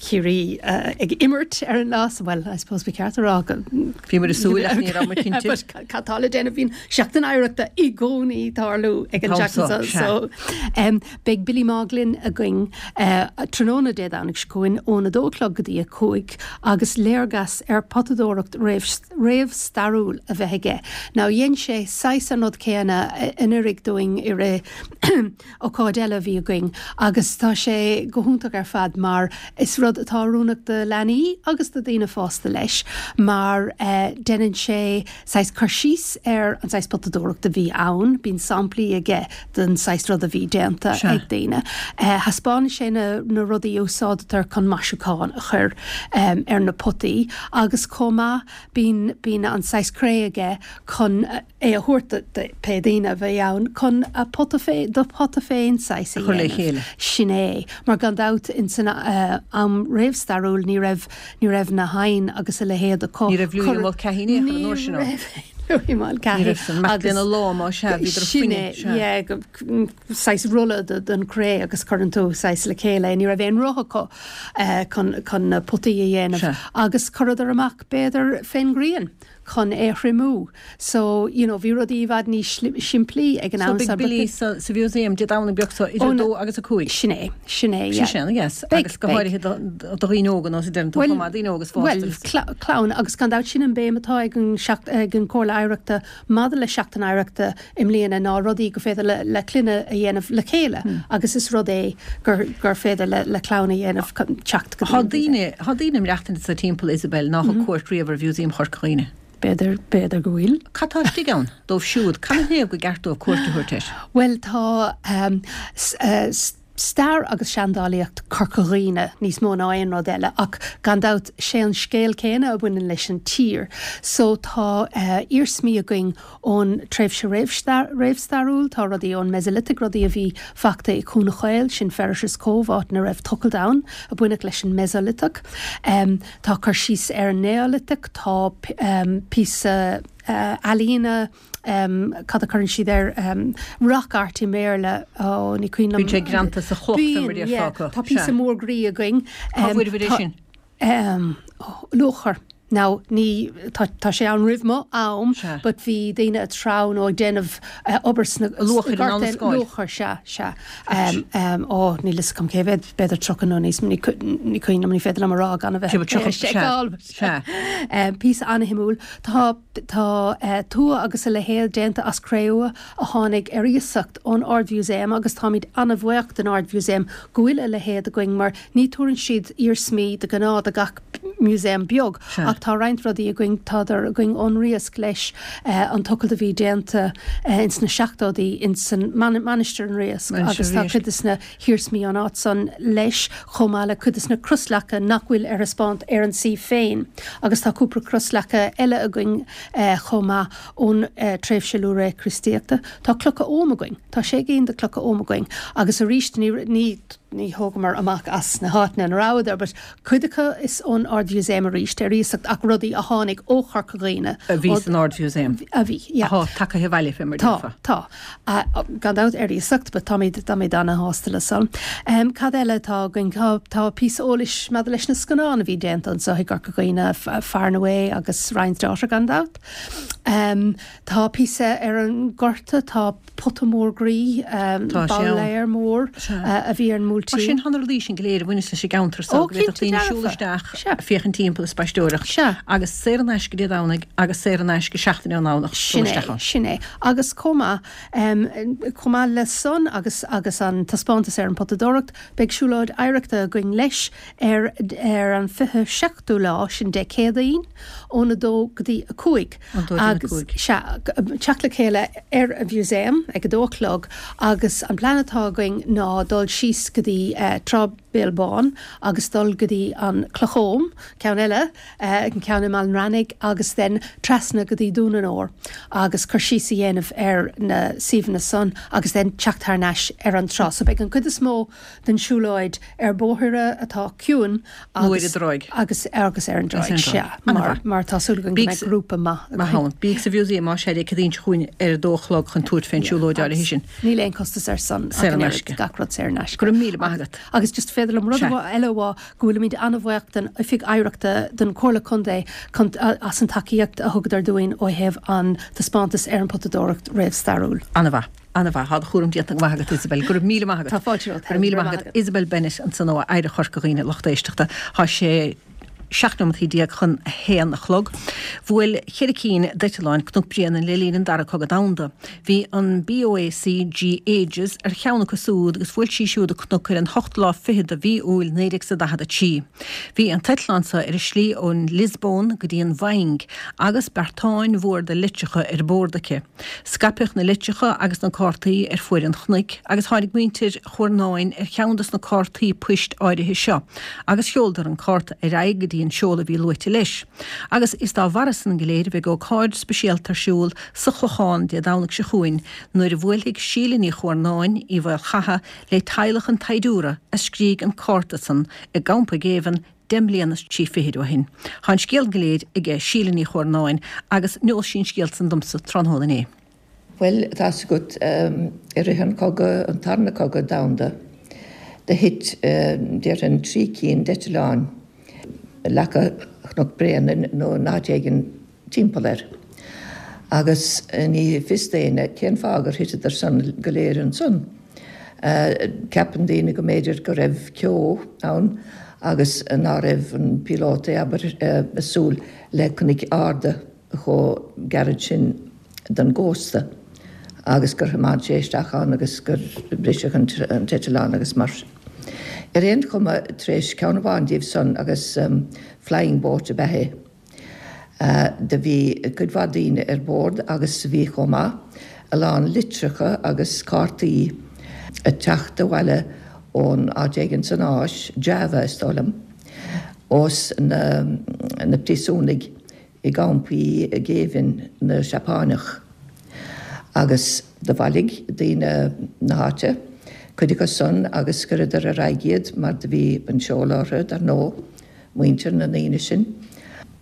Ciarraí ag imirt ar an lá so, bhuel, I suppose ba cheart a rá go. Bhíomar ag súil ach ní raibh muid cinnte. But cad tá le déanamh, bíonn Seachtain Oidhreachta i gcónaí ag tarlú ag an tseachtain seo, so beidh Billy Mogg linn againn tráthnóna Dé Domhnaigh seo chugainn ón 2 a chlog go dtí a 5 agus léargas ar potadóireacht réamhstairiúil a bheith aige. Now dhein sé saghas an rud céanna anuraidh dúinn i rith ócáid eile a bhí againn agus tá sé go hiontach ar fad mar is rud atá oiriúnach do leanaí agus do daoine fásta leis mar deineann sé saghas cur síos ar an saghas potadóireacht a bhí ann, bíonn samplaí aige den saghas rud a bhí déanta ag daoine. Thaispeánann sé na rudaí a úsáidtear chun maisiúcháin a chur ar na potaí agus chomh maith bíonn bíonn an saghas cré aige chun é a thabhairt do pé daoine a bheidh ann chun a pota féin, do phota féin saghas a dhéanamh. Sin é. Mar gan dabht ins an am réamhstairiúil ní raibh ní raibh na hoighinn agus a leithéid acu. Ní raibh Louis Mulcahy in aon chor an uair sin ann. Ní raibh Louis Mulcahy. Ní raibh san. Mac lena lámh má sea, bhíodar ag Sin é, fuineadh, sea. yeah, saghas rolla den chré agus cuireann tú saghas le chéile é. Ní raibh aon roth acu chun chun na potaí a dhéanamh. Sea. Agus chuireadar amach b'fhéidir fén ghrian chun é a thriomú. So, you know, bhí rudaí i bhfad níos simplí ag an am So beidh Billy sa sa Mhúsaem Dé Domhnaigh beag so idir 2 agus 5. Sin é, sin é, yeah. Sin é, yes. Agus go háirithe do do dhaoine óga nó sa deireann tú chomh maith, daoine óga is fásta. Bhuel, clann agus gan dabht sin an béim atá ag an ag an Chomhairle Oidhreachta maidir le Seachtain Oidhreachta i mbliana ná rudaí gur féidir le le clainne a dhéanamh le chéile agus is rud é gur gur féidir le le clann a dhéanamh teacht go dtí Tá daoine, tá daoine ag maireachtaint anso timpeall Isabel ná thug cuairt riamh ar Mhúsaem Chorca Dhuibhne. B'fhéidir, b'fhéidir go bhfuil. Cad tá istigh ann dóibh siúd? Canathaobh gur ceart dóibh cuairt a thabhairt air? Bhuel tá stair agus seandálaíocht Chorca Dhuibhne níos mó ná aon rud eile ach gan dabht sé an scéal céanna a bhaineann leis an tír. So tá iarsmaí againn ón tréimhse réamhstairiúil, tá rudaí ón Mesolithic, rudaí a bhí fachta i Cuan Chaol, sin Ferriter's Cove, áit ina raibh tochailt ann a baineadh leis an Mesolithic. Tá cur síos ar an Neolithic, tá píosa ealaíne, cad a chuireann siad air, rock art i mBéarla, ó ní cuimhin liom. Bíonn sé greanta sa chloch, fé mar a déarfá acu. Tá píosa mór groí againn. Cá bhfuaireabhair é sin? Luachair. Now, ní, tá, tá sé ann roimh mo am, but bhí daoine ag treabhadh nó ag déanamh obair sna, Luachair in ann a scáil. Luachair, sea, sea. Ó, níl fhios agam cé mhéad, b'fhéidir 30 nó níos mó, ní cuimhin liom, ní féidir liom a rá gan a bheith ag seiceáil. Sea. Píosa an-shuimiúil. Tá, tá tua agus a leithéid déanta as cré-umha a tháinig ar iasacht ón Ard-Mhúsaem agus táimid an-bhuíoch den Ard-Mhúsaem go bhfuil a leithéid againn mar ní tabharann siad iarsmaí de ghnáth do gach músaem beag ach tá roinnt rudaí againn, tádar againn ón Riasc leis, an tochailt a bhí déanta ins na seachtóidí ins an Mainistir an Riasc agus tá cuid des na hiarsmaí ón áit san leis chomh maith le cuid des na crosleaca nach bhfuil ar thaispeáint ar an suíomh féin agus tá cúpla crosleaca eile againn chomh maith ón tréimhse luathré Críostaíochta. Tá clocha Oghaim againn, tá sé gcinn de chlocha Oghaim againn agus arís ní ní ní thógamar amach as na háiteanna ina rabhadar but cuid acu is ón Ard-Mhúsaem arís ar iasacht ach rudaí a tháinig ó Chorca Dhuibhne. A bhí san Ard-Mhúsaem. A bhí, yeah. Atá tagaithe abhaile fé mar a déarfá. Tá, tá. Gan dabht ar iasacht but táimid, táimid ana-shásta le san. Cad eile atá againn? Tá, tá píosa eolais maidir leis na scannáin a bhí déanta anseo i gCorca Dhuibhne, Far and Away agus Ryan's Daughter gan dabht. Tá píosa ar an ngorta, tá pota mór groí, babhléir mór a bhí ar an mBuailtín. Mar sin, tá na rudaí sin go léir a bhaineas leis an gceantar so, go bhféadfadh daoine siúl isteach, féachaint timpeall is spaisteoireacht, agus saor in aisce Dé Domhnaigh agus saor in aisce seachtain ón nDomhnach dul isteach ann. Sin é, sin é. Agus chomh maith, chomh maith le san agus agus an taispeántas ar an bpotadóireacht, beidh siúlóid oidhreachta againn leis ar ar an 27ú lá, sin Dé Céadaoin, ón 2 go dtí 5. Agus, sea, teacht le chéile ar an Mhúsaem ag a dó a chlog agus an plean atá againn ná dul síos go dtí Trá Béal Bán agus dul go dtí an Cloch Oghaim, ceann eile, an ceann i mBaile an Reannaigh agus then trasna go dtí Dún an Óir agus cur síos a dhéanamh ar na suíomhanna san agus then teacht thar n-ais ar an trá. So beidh an cuid is mó den siúlóid ar bóithre atá ciúin agus ar an dtráigh. Agus agus ar an dtráigh, sea, mar mar tá súil againn go mbeidh grúpa maith againn. Maith ann. Bíodh sa Mhúsaem más ea Dé Céadaoin seo chugainn ar a dó a chlog chun tabhairt fén siúlóid áirithe sin. Níl aon costas ar san Saor in aisce. Gach rud saor in aisce. Go raibh míle maith agat. Agus just féidir liom rud eile a rá go bhfuilimid an-bhuíoch den Oifig Oidhreachta don Chomhairle Contae as an tacaíocht a thugadar dúinn ó thaobh an taispeántas ar an potadóireacht réamhstairiúil. An-mhaith. An-mhaith. Tá do chúram déanta go maith agat, Isabel. Go raibh míle maith agat. Tá fáilte romhat. Go raibh míle maith agat. Isabel Bennett ansan ó Oidhreacht Chorca Dhuibhne, lucht éisteachta. Tá sé 17 nóimeataí chun a haon a chlog. Bhuail cheithre cinn d'eitleáin Cnoc Bréanainn le linn an Dara Cogadh Domhanda. Bhí an BOAC G Aegis ar cheann acu súd agus bhuail sí siúd an cnoc ar an hochtú lá fichead de mhí Iúil 1943. Bhí an t-eitleán so ar a slí ón Liospóin go dtí an Mhaing agus beartáin mhór de litreacha ar bord aici. Scaipeadh na litreacha agus na cártaí ar fuaid an chnoic agus tháinig muintir Chuarnáin ar cheann dos na cártaí poist áirithe seo agus sheoladar an cárta ar aghaidh go dtí an seoladh a bhí luaite leis. Agus is dá bharra san go léir a bheidh ócáid speisialta ar siúl sa Chlochán Dé Domhnaigh seo chugainn nuair a bhuailfidh Síle Ní Chuarnáin, Uí Mhaolchatha, le teaghlach an tsaighdiúra a scrígh an cárta san i gcampa géibheann 10 mbliana is 3 fichid ó shin. Tá an scéal go léir aige Síle Ní Chuarnáin agus neos sí an scéal san domsa tráthnóna inné. Bhuel, tá's agat, i rith an chogadh, an tarna cogadh domhanda, do thit, déarfainn, 3 cinn d'eitleáin i leaca Chnoc Bréanainn nó in áit éigin timpeall air. Agus ní fios d'éinne cén fáth gur thiteadar san go léir ansan. Ceapann daoine go mb'fhéidir go raibh ceo ann agus ná raibh an píolótaí, abair, ag súil le cnoic arda chomh gairid sin don gcósta agus gur thiomáin sé isteach ann agus gur briseadh an t-eitleán agus mar sin. Ar aon chuma, tar éis ceann amháin díobh san agus flying boat ab ea é, Do bhí cuid mhaith daoine ar bord agus bhí chomh maith a lán litreacha agus cártaí ag teacht abhaile ón áit éigin san Áis, Java is dóigh liom, ós na na príosúnaigh i gcampaí géibhinn na Seapáineach. Agus do bhailigh daoine na háite cuid acu san agus chuireadar ar aghaidh iad mar do bhí an seoladh orthu dar ndóigh. muintir na ndaoine sin.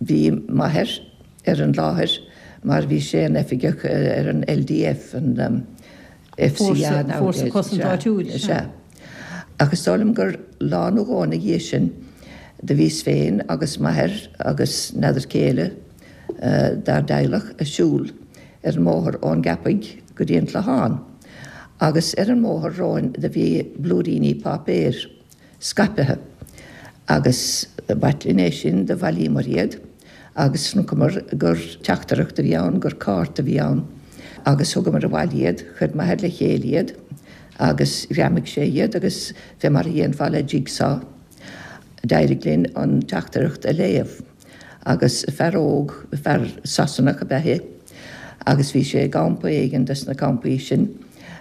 Bhí m'athair ar an láthair mar bhí sé ina oifigeach ar an LDF, an FCA nowadays. Fórsa Cosanta Áitiúil. Sea. Ach is dóigh liom gur lá nó dhó ina dhiaidh sin. Do bhíos féin agus m'athair agus n'fheadar cé eile dár dteaghlach ag siúl ar an mbóthar ón gCeapaigh go dtí an Clochán agus ar an mbóthar romhainn do bhí blúiríní páipéir scaipthe agus b'ait linn é sin, do bhailíomar iad agus chonaiceamar gur teachtaireacht a bhí ann, gur cárta a bhí ann agus thugamar abhaile iad, chuir m'athair le chéile iad agus ghreamaigh sé iad agus fé mar a dhéanfá le jigsaw d'éirigh linn an teachtaireacht a léamh agus fear óg, fear Sasanach ab ea é agus bhí sé i gcampa éigin des na campaí sin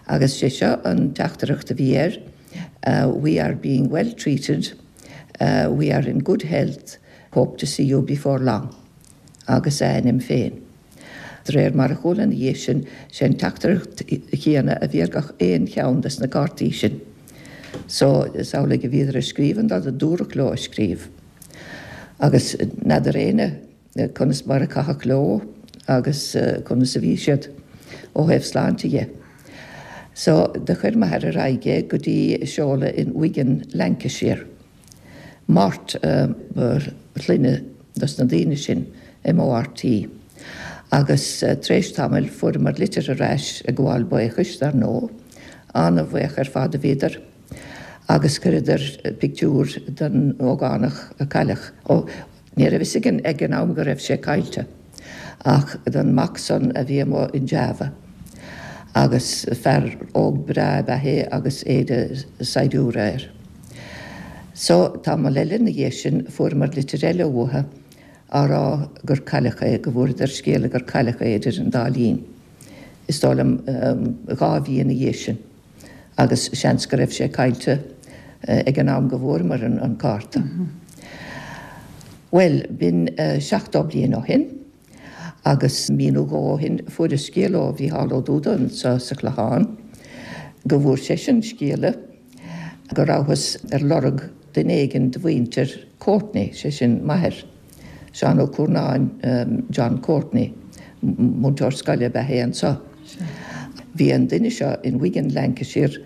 agus sé seo an teachtaireacht a bhí air, We are being well treated, we are in good health, hope to see you before long. Agus a ainm féin. De réir mar a chuala ina dhiaidh sin, sé an teachtaireacht chéanna a bhí ar gach aon cheann des na cártaí sin. So, is amhlaidh a bhíodar ag scríobh an rud a dúradh leo a scríobh. Agus n'fheadar éinne conas mar a caitheadh leo agus conas a bhí siad ó thaobh sláinte dhe. So, do chuir m'athair ar aghaidh é go dtí seoladh in Wigan, Lancashire. Mort ba shloinne dos na daoine sin, M-O-R-T. Agus tar éis tamaill fuaireamar litir ar ais ag gabháil buíochais, dar ndóigh. Ana-bhuíoch ar fad a bhíodar. Agus chuireadar pictiúr den ógánach a cailleadh. Ó, Ní raibh fhios againn ag an am go raibh sé caillte, ach don mac san a bhí amuigh in Java. Agus fear óg breá ab ea é agus éide saighdiúra air. So, tamall eile ina dhiaidh sin, fuaireamar litir eile uathu á rá gur cailleadh é, go bhfuaireadar scéala gur cailleadh é idir an dá linn. Is dóigh liom dhá mhí ina dhiaidh sin. agus seans go raibh sé caillte ag an am go bhfuaireamar an cárta. Bhuel, b'in 70 bliain ó shin agus mí nó dhó ó shin fuaireas scéala ó Mhícheál Ó Dúda anseo sa Chlochán go bhfuair seisean scéala go rabhthas ar lorg duine éigin de mhuintir Courtney, sé sin m'athair. Seán Ó Cuarnáin, John Courtney, múinteoir scoile ab ea é anseo. Bhí an duine seo in Wigan, Lancashire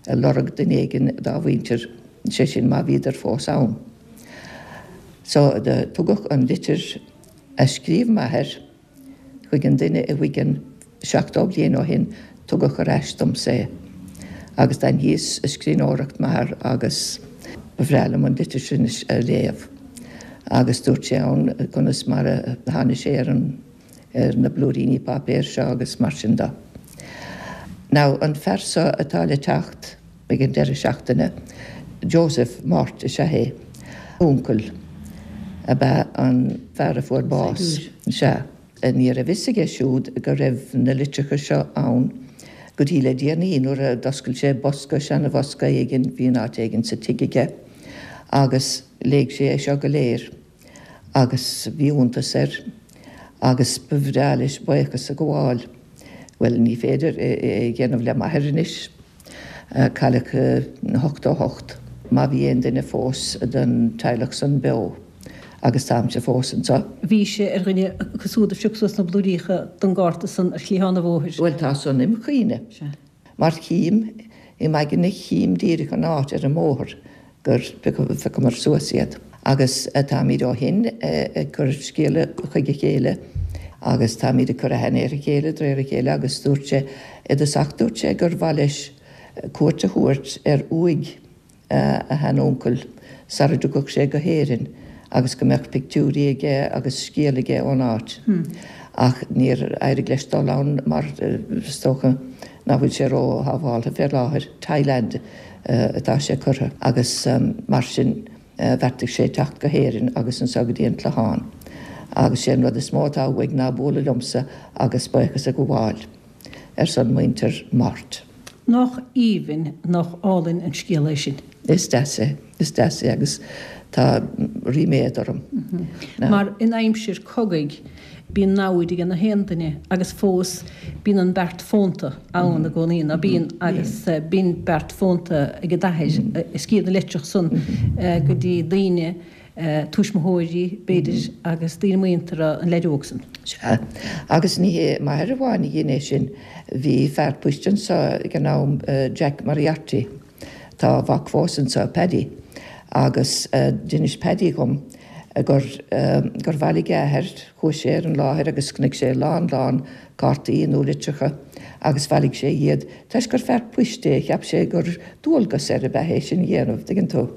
ag lorg duine éigin dá mhuintir, sé sin má bhíodar fós ann. So do tugadh an litir a scríobh m'athair chuig an duine i Wigan 70 bliain ó shin, tugadh ar ais domsa é. Agus d'aithníos scríbhneoireacht m'athar agus ba bhreá liom an litir sin a léamh. Agus dúirt sé ann conas mar a tháinig sé ar an ar na blúiríní páipéir seo agus mar sin de. Now, an fear seo atá le teacht ag an deireadh seachtaine, Joseph Mort is ea é. Uncail ab ea an fear a fuair bás. Sea. Ní raibh fhios aige siúd go raibh na litreacha seo ann go dtí le déanaí nuair a d'oscail sé bosca, seana-bhosca éigin, bhí in áit éigin sa tigh aige, agus léigh sé é seo go léir agus bhí iontas air agus ba bhreá leis buíochas a ghabháil. Bhuel, ní féidir é a dhéanamh le m'athair anois. Cailleadh in 88. Má bhí aon duine fós den teaghlach san beo, agus táimse fós anseo. Bhí sé ar dhuine acu siúd a phioc suas na blúiríocha den gcárta san ar chliathán an bhóthair. Bhuel, tá san im chuimhne. Mar chím im aigne chím díreach an áit ar an mbóthar gur phiocamar suas iad. Agus táimid ó shin ag cur scéala chuig a chéile agus táimid ag cur aithne ar a chéile de réir a chéile agus dúirt sé, i dtosach dúirt sé gur mhaith leis cuairt a thabhairt ar uaigh a sheanuncail sara dtiocfadh sé go hÉirinn agus go mbeadh pictiúirí aige agus scéal aige ón áit. Ach níor éirigh leis dul ann mar is dócha nach bhfuil sé ró-shábháltha fé láthair, Thailand atá sé curtha agus mar sin bheartaigh sé teacht go hÉirinn agus anseo go dtí an Clochán. Agus sé an rud is mó atá uaidh ná bualadh liomsa agus buíochas a ghabháil ar son muintir Mort. Nach aoibhinn, nach álainn an scéal é sin. Is deas é, is deas é agus tá ríméad orm. Mar in aimsir cogaidh bíonn namhaid ag na haon duine agus fós bíonn an beart fónta ann i gcónaí, ná bíonn? Agus bíonn beart fónta ag d'athair a scríobh na litreach san go dtí daoine, tuismitheoirí b'fhéidir agus daoine muinteartha an leaid óg san. Sea. Agus ní hé m'athair amháin a dhein é sin. Bhí fear poist anseo ag an am, Jack Moriarty. Tá a mhac fós anseo, Paddy. Agus d'inis Paddy dhom gur, gur bhailigh a athair, chuaigh sé ar an láthair agus chonaic sé lán lán cártaí nó litreacha agus bhailigh sé iad. Toisc gur fear poist é, cheap sé gur dualgas air ab ea é sin a dhéanamh, tuigeann tú.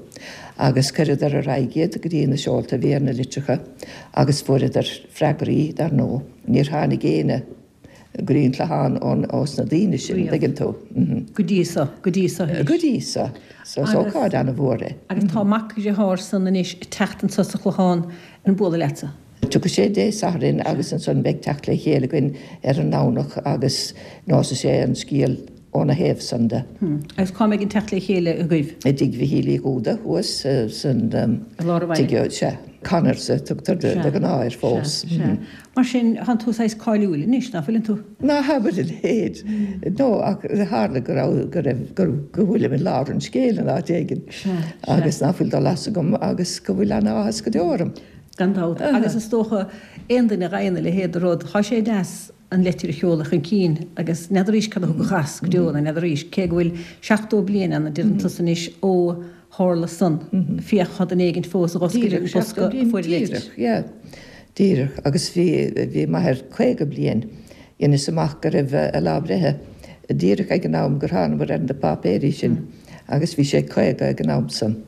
Agus chuireadar ar aghaidh iad go dtí na seolta a bhí ar na litreacha agus fuaireadar freagraí, dar ndóigh. Níor tháinig éinne. go dtí an Clochán ón, ós na daoine sin, an dtuigeann tú. Go dtí so, go dtí so anois. Go dtí so. So is ócáid ana-mhór é. Agus tá mac a dhearthár san anois ag teacht anso sa Chlochán ag bualadh leatsa. Tiocfaidh sé Dé Sathairn agus ansan beidh teacht le chéile againn ar an nDomhnach agus neosfaidh sé an scéal óna thaobh san de. Agus cá mbeidh an teacht le chéile agaibh? I dtigh Mhichíl Uí Dhúda thuas san I lár an bhaile? tigh, sea. Connors a tugtar de ghnáth air fós. Sea, sea. Mar sin, tánn tú saghas cáiliúil anois, ná fuileann tú? Ná habair a leithéid. No, ach tharla go raibh, go raibh, go, go bhfuilim i lár an scéil in áit éigin. Sea, sea. Agus ná fuil dul as agam agus go bhfuil ana-áthas go deo orm. Gan dabht. Agus is dócha, aon duine a fhaigheann a leithéid de rud, tá sé deas an leitir a sheoladh chun cinn agus n'fheadaraís cad a thug as go deo ná n'fheadaraís, cé go bhfuil 70 bliain ann, a deireann tusa anois, ó tharla san. Féach, tá duine éigint fós a dh'oscail an bosca a fuair an leitir. Díreach, yeah. Díreach. Agus bhí, bhí m'athair 50 bliain, dheineas amach go raibh a lá breithe díreach ag an am gur thánamair ar na páipéirí sin agus bhí sé 50 ag an am san.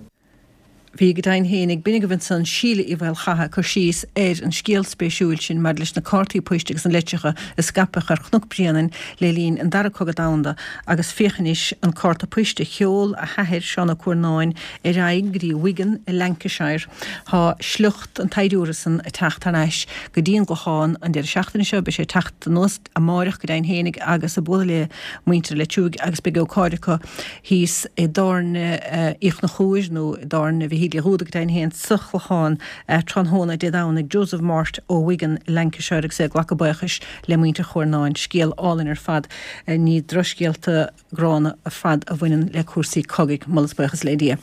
Bhí go deimhin féin ag b'in agaibh ansan Síle Uí Mhaolchatha ag cur síos ar an scéal spéisiúil sin maidir leis na cártaí poist agus na litreacha a scaipeadh ar Chnoc Bréanainn le linn an Dara Cogadh Domhanda agus féach anois an cárta poist a sheol a hathair, Seán Ó Cuarnáin, ar aghaidh go dtí Wigan i Lancashire. Tá sliocht an tsaighdiúra san ag teacht thar n-ais go dtí an gClochán an deireadh seachtaine seo. Beidh sé ag teacht anuas amáireach go deimhin féinig agus ag bualadh le muintir Leitir Uaighe agus beidh ócáid acu thíos i dtábhairne Uí Chonchúir nó i dtábhairne Mhichíl Uí Dhúda go deimhin féin sa Chlochán tráthnóna Dé Domhnaigh. Joseph Mort ó Wigan i Lancashire agus é ag glacadh buíochais le muintir Chuarnáin. Scéal álainn ar fad. Ní drochscéalta gránna ar fad a bhaineann le cúrsaí cogaidh, moladh is buíochas le Dia.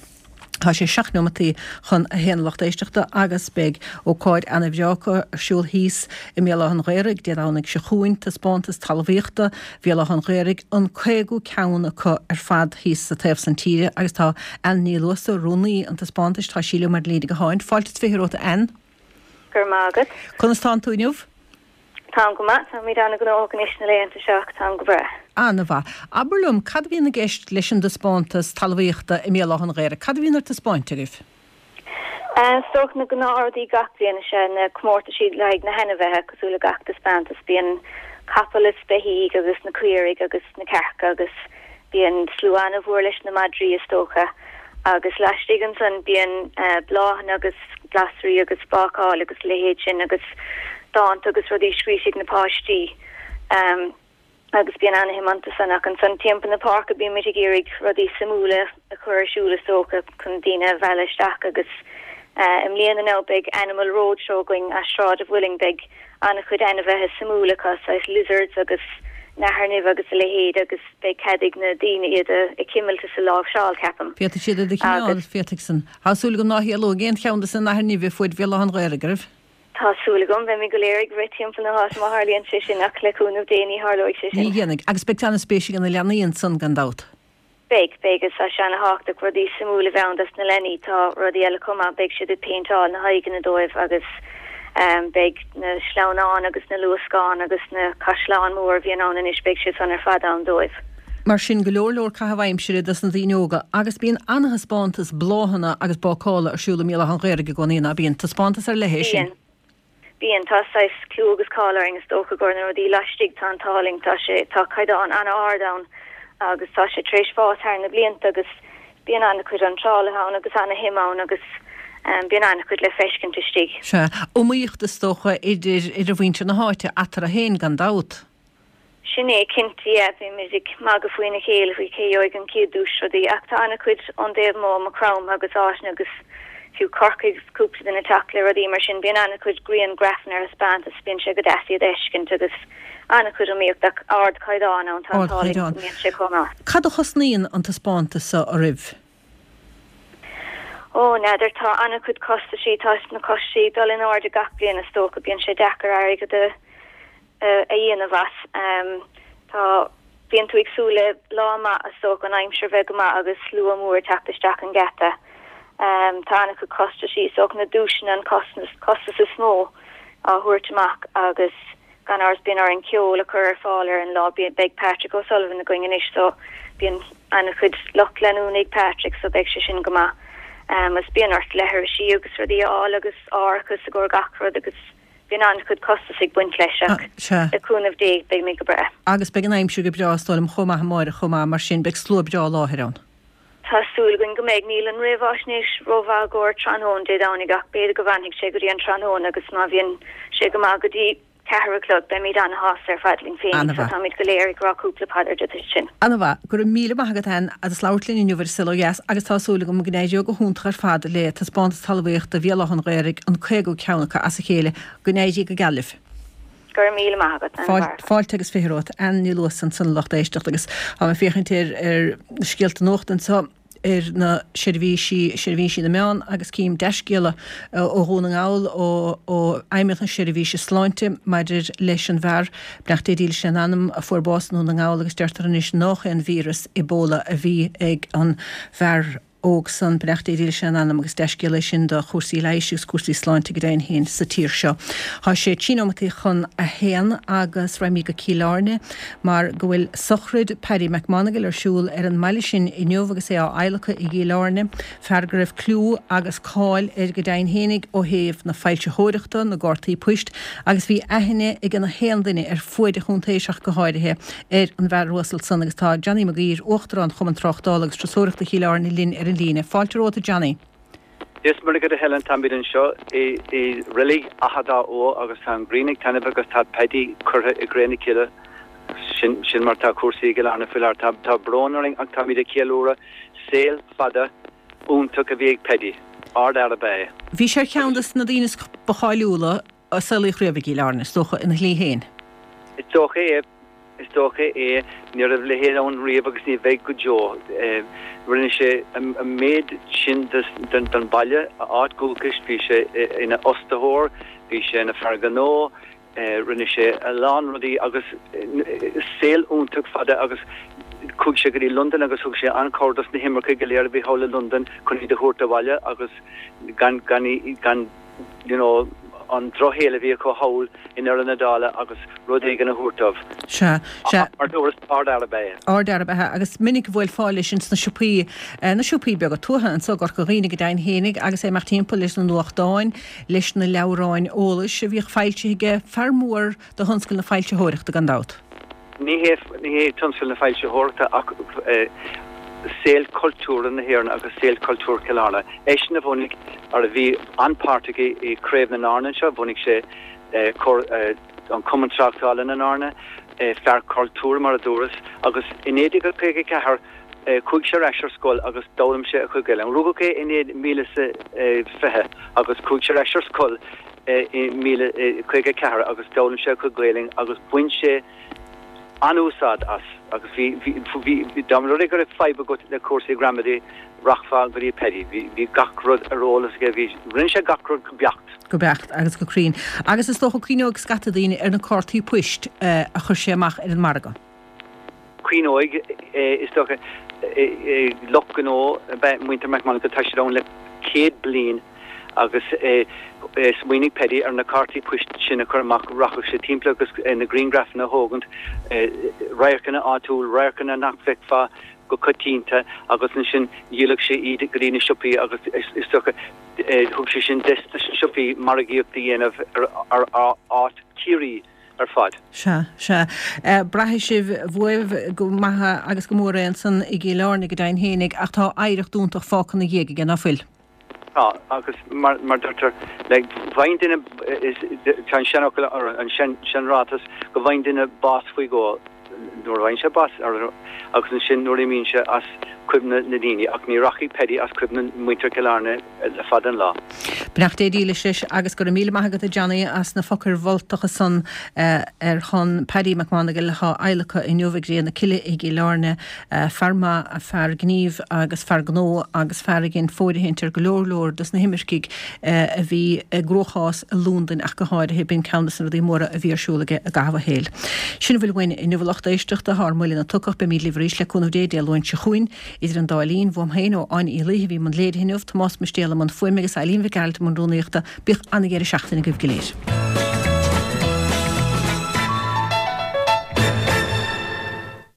Tá sé 7 neomataí chun a haon a lucht éisteachta agus beidh ócáid ana-bhreá acu ar siúl thíos i mBéal Átha an Ghaorthaidh Dé Domhnaigh seo chugainn, Taispeántas Talmhaíochta Bhéal Átha an Ghaorthaidh, an 50ú ceann acu ar fad thíos sa taobh san tíre agus tá Ann Ní Luasa, rúnaí an taispeántais, tá sí liom ar líne gutháin. Fáilte is 20 romhat a Ann. Go raibh maith agat. Conas tánn tú inniu? Táim go maith, táimid an-ghnóthach anois na laethanta seo ach táim go breá. An-mhaith. Abair liom, cad a bhíonn i gceist leis an dtaispeántas talmhaíochta i mBéal Átha an Ghaorthaidh? Cad a bhíonn ar taispeáint agaibh? Is dócha na gnáthrudaí gach bliain is ea na comórtaisí le haghaidh na hainmhithe, cosúil le gach taispeántas. Bíonn capaill is beithígh agus na caoirigh agus na cearca agus Bíonn slua an-mhór leis na madraí is dócha agus laistigh ansan bíonn bláthanna agus glasraí agus bácáil agus a leithéid sin agus dánta agus rudaí scríte ag na páistí agus bíonn ana-shuim iontu san ach ansan timpeall na páirce bímid ag iarraidh rudaí suimiúla a chur ar siúl is dócha chun daoine a mhealladh isteach agus i mbliana now beidh Animal Roadshow againn as Sráid a' Mhuilinn beidh an-chuid ainmhithe suimiúla acu, saghas lizards agus nathair nimhe agus a leithéid agus beidh cead ag na daoine iad a chimilt is a láimhseáil, ceapaim. Féadfaidh siad iad a chineál, féadfaidh san. Tá súil agam ná héalóidh aon cheann de na nathair nimhe fuaid Bhéal Átha an Ghaorthaidh, oraibh? Tá súil agam. Beimid go léir ag rith timpeall na háite má tharlaíonn sé sin ach le cúnamh Dé ní tharlóidh sé sin. Ní dhéanfaidh. Agus beidh an-spéis ag na leanaí ansan gan dabht. Beidh, beidh, agus tá sé ana-thábhachtach rudaí suimiúla a bheith ann dos na leanaí. Tá rudaí eile chomh maith, beidh siad ag péinteáil na haghaidheanna dóibh agus beidh na sleamhnáin agus na luascáin agus na caisleáin mór a bhíonn ann anois, beidh siad san ar fad ann dóibh. Mar sin, go leor leor caitheamh aimsire dos na daoine óga agus bíonn an-thaispeántas bláthanna agus bácála ar siúl i mBéal Átha an Ghaorthaidh i gcónaí, ná bíonn? Taispeántas ar leith é sin. Bíonn. Bíonn, tá saghas clú agus cáil orainn is dócha gur na rudaí laistigh, tá an t-ádh linn, tá sé, tá caighdeán an-ard ann agus tá sé tar éis fás thar na blianta agus bíonn an-chuid iontrálaithe ann agus an-shuim ann agus bíonn an-chuid le feiscint istigh. Sea, iomaíocht is dócha idir, idir mhuintir na háite eatarthu féin gan dabht. Sin é, cinnte, yeah, bímid ag magadh faoina chéile faoi cé gheobhaidh an chéad duais rudaí ach tá an-chuid ón dtaobh amuigh, Maigh Chromtha agus áiteanna agus fiú Corcaigh agus cúpla duine ag teacht le rudaí mar sin. Bíonn an-chuid grianghrafanna ar thaispeántas, bíonn sé go deas iad a fheiscint agus an-chuid iomaíocht ach ardchaighdeán ann, tá an t-ádh linn go mbíonn sé chomh maith. Cad a chosnaíonn an taispeántas seo oraibh? Ó, n'fheadar, tá an-chuid costaisí, tá na costaisí ag dul in airde gach bliain is dócha, bíonn sé deacair airgead a a dhéanamh as. Tá, bíonn tú ag súil le lá maith is dócha, an aimsir bheith go maith agus slua mór ag teacht isteach an geata. Tá an-chuid costaisí, is dócha na duaiseanna an costas is mó á thabhairt amach agus gan amhras bíonn orainn ceol a chur ar fáil ar an lá. Beidh Patrick O'Sullivan againn anois so bíonn an-chuid lucht leanúna ag Patrick so beidh sé sin go maith. Agus bíonn ort leithrisí agus rudaí a fháil agus árachas i gcomhair gach rud agus bíonn an-chuid costas ag baint leis ach le cúnamh Dé beimid go breá. Agus beidh an aimsir go breá is dóigh liom chomh maith amáireach chomh maith mar sin beidh slua breá i láthair ann. Tá súil againn go mbeidh. Níl an réamháisnéis rómhaith i gcomhair tráthnóna Dé Domhnaigh ach b'fhéidir go bhfanfaidh sé go dtí an tráthnóna agus má bhíonn sé go maith go dtí ceathair a chlog beimid ana-shásta ar fad linn féinig so táimid go léir ag rá cúpla paidir duit sin. Ana-mhaith. Go raibh míle maith agat Ann as labhairt linn inniu ar An Saol Ó Dheas agus tá súil agam go n-éireoidh go hiontach ar fad le Taispeántas Talmhaíochta Bhéal Átha an Ghaorthaidh, an 50ú ceann acu as a chéile. Go n-éirí go geal libh. Go raibh míle maith agat, Ann Mhairg. Fáilte agus 20 romhat. Ann Ní Luasa ansan a lucht éisteachta agus tá mé ag féachaint ar ar na scéalta nuachta anseo ar na seirbhísí, seirbhísí na meán agus cím dea-scéala ó Dhún na nGall, ó ó Fheidhmeannacht na Seirbhíse Sláinte maidir leis an bhfear, beannacht Dé dílis lena anam, a fuair bás i nDún na nGall agus deirtear anois nách é an víreas Ebola a bhí ag an bhfear. óg san, beannacht Dé dílis lena anam agus dea-scéala é sin do chúrsaí leighis agus cúrsaí sláinte go deimhin féin sa tír seo. Tá sé trí nóimeataí chun a haon agus raghaimid go Cill Airne mar go bhfuil sochraid Paddy McMonagle ar siúl ar an mbaile sin inniu agus é á adhlacadh i gCill Airne, fear go raibh clú agus cáil air go deimhin fhéinig ó thaobh na foilsitheoireachta, na gcártaí poist agus bhí aithne ag na haon duine ar fuaid an chontae ach go háirithe ar an bhfear uasal san agus tá Johnny Mag Uidhir, Uachtarán Chumann Tráchtála agus Turasóireachta Chill Airne linn ar an líne. Fáilte romhat a Johnny. Dia is Muire dhuit a Helen, táimid anseo i reilig Achadh Dá Fhogha agus tá an ghrian ag taitneamh agus tá Paddy curtha i gcré na cille. Sin sin mar tá cúrsaí i gCill Airne faoi láthair. Tá tá brón orainn ach táimid ag ceiliúradh saol fada iontach a bhí ag Paddy. Ardfhear ab ea é. Bhí sé ar cheann de na daoine ba cháiliúla a saolaíodh riamh i gCill Airne, is dócha, ina shlí féin. Is dócha é. Is dócha é. Ní raibh a leithéid ann riamh agus ní bheidh go deo. Rinne sé an méid sin don bhaile, a áit dhúchais, bhí sé ina fhostaitheoir, bhí sé ina fear gnó, rinne sé a lán rudaí agus saol iontach fada agus chuaigh sé go dtí Londain agus thug sé an-chabhair dos na himircigh go léir a bhí thall i Londain chun iad a thabhairt abhaile agus gan, gan, gan you know, an drochshaol a bhí acu thall i ndeireadh na dála agus rud éigin a thabhairt dóibh. Sea, sea. Mar dúras, ardfhear ab ea é. Ardfhear ab ea é agus minic a bhuailfeá leis ins na siopaí, na siopaí beaga tuaithe anso i gCorca Dhuibhne go deimhin fhéinig agus é ag imeacht timpeall leis na nuachtáin, leis na leabhráin eolais a bhíodh foilsithe aige, fear mór de thionscal na foilsitheoireachta gan dabht. Ní hé, ní hé tionscal na foilsitheoireachta ach saol cultúrtha na hÉireann agus saol cultúrtha Chill Airne. Eisean a bhunaigh, or a bhí an-pháirteach i Craobh na nAirne anseo, bhunaigh sé an Cumann Tráchtála na nAirne, fear cultúir mar a dúras, agus i 1954 chuaigh sé ar ais ar scoil agus d'fhoghlaim sé a chuid Gaeilge. Rugadh é i 1920 agus chuaigh sé ar ais ar scoil i 1954 agus d'fhoghlaim sé a chuid Gaeilge agus bhain sé an-úsáid as agus bhí, bhí, bhí, dá mba rud é go raibh fadhb agat le cúrsaí gramadaí, rachfá go dtí Paddy. Bhí, bhí gach rud ar eolas aige, bhí, rinne sé gach rud go beacht. Go beacht agus go cruinn. Agus is dócha cuimhneoidh scata daoine ar na cártaí poist a chuir sé amach ar an margadh. Cuimhneoidh, is dócha, lucht gnó ab ea muintir McMonagle, tá siad ann le 100 bliain agus smaoinigh Paddy ar na cártaí poist sin a chur amach, rachadh sé timpeall agus na grianghrafanna a thógaint, radharcanna áitiúil, radharcanna nach bhfeicfeá go coitianta agus ansin dhíoladh sé iad go dtí na siopaí agus is dócha thug sé sin deis dos na siopaí margaíocht a dhéanamh ar áit Chiarraí. ar fad. Sea, sea. Braithfidh sibh uaibh go maith agus go mór é ansan i gCill Airne go deimhin fhéinig ach tá oidhreacht iontach fágtha ina dhiaidh aige, ná fuil? Tá, agus mar mar deirtear, like, faigheann duine, is, tá an seanfhocal, or an sean, seanráiteas go bhfaigheann duine bás faoi dhó, nuair a bhfaigheann sé bás, agus ansin nuair a imíonn sé as cuimhne na ndaoine, ach ní rachaidh Paddy as cuimhne muintir Chill Airne le fada an lá. Beannacht Dé dílis leis agus go raibh míle maith agat a Johnny as na focail mholtacha san ar shon Paddy McMonagle atá á adhlacadh inniu i gcré na cille i gCill Airne. Fear maith, fear gnímh agus fear gnó agus fear a dhein fóirithint ar go leor leor dos na himircigh a bhí i gcruachás i Londain ach go háirithe. B'in ceann dos na rudaí móra a bhí ar siúl aige i gcaitheamh a shaoil. Sin a bhfuil uainn inniu a lucht éisteachta. Tá ár mbuille ina tocach. Beimid libh arís le cúnamh Dé Dé Luain seo chugainn. Idir an dá linn, uaim féin ó Áine Uí Laoithe a bhí i mbun léirithe inniu, Tomás Mistéal i mbun fuaime agus Eileen Mhic Gearailt i mbun rúnaíochta. Bíodh an-dheireadh seachtaine agaibh go léir.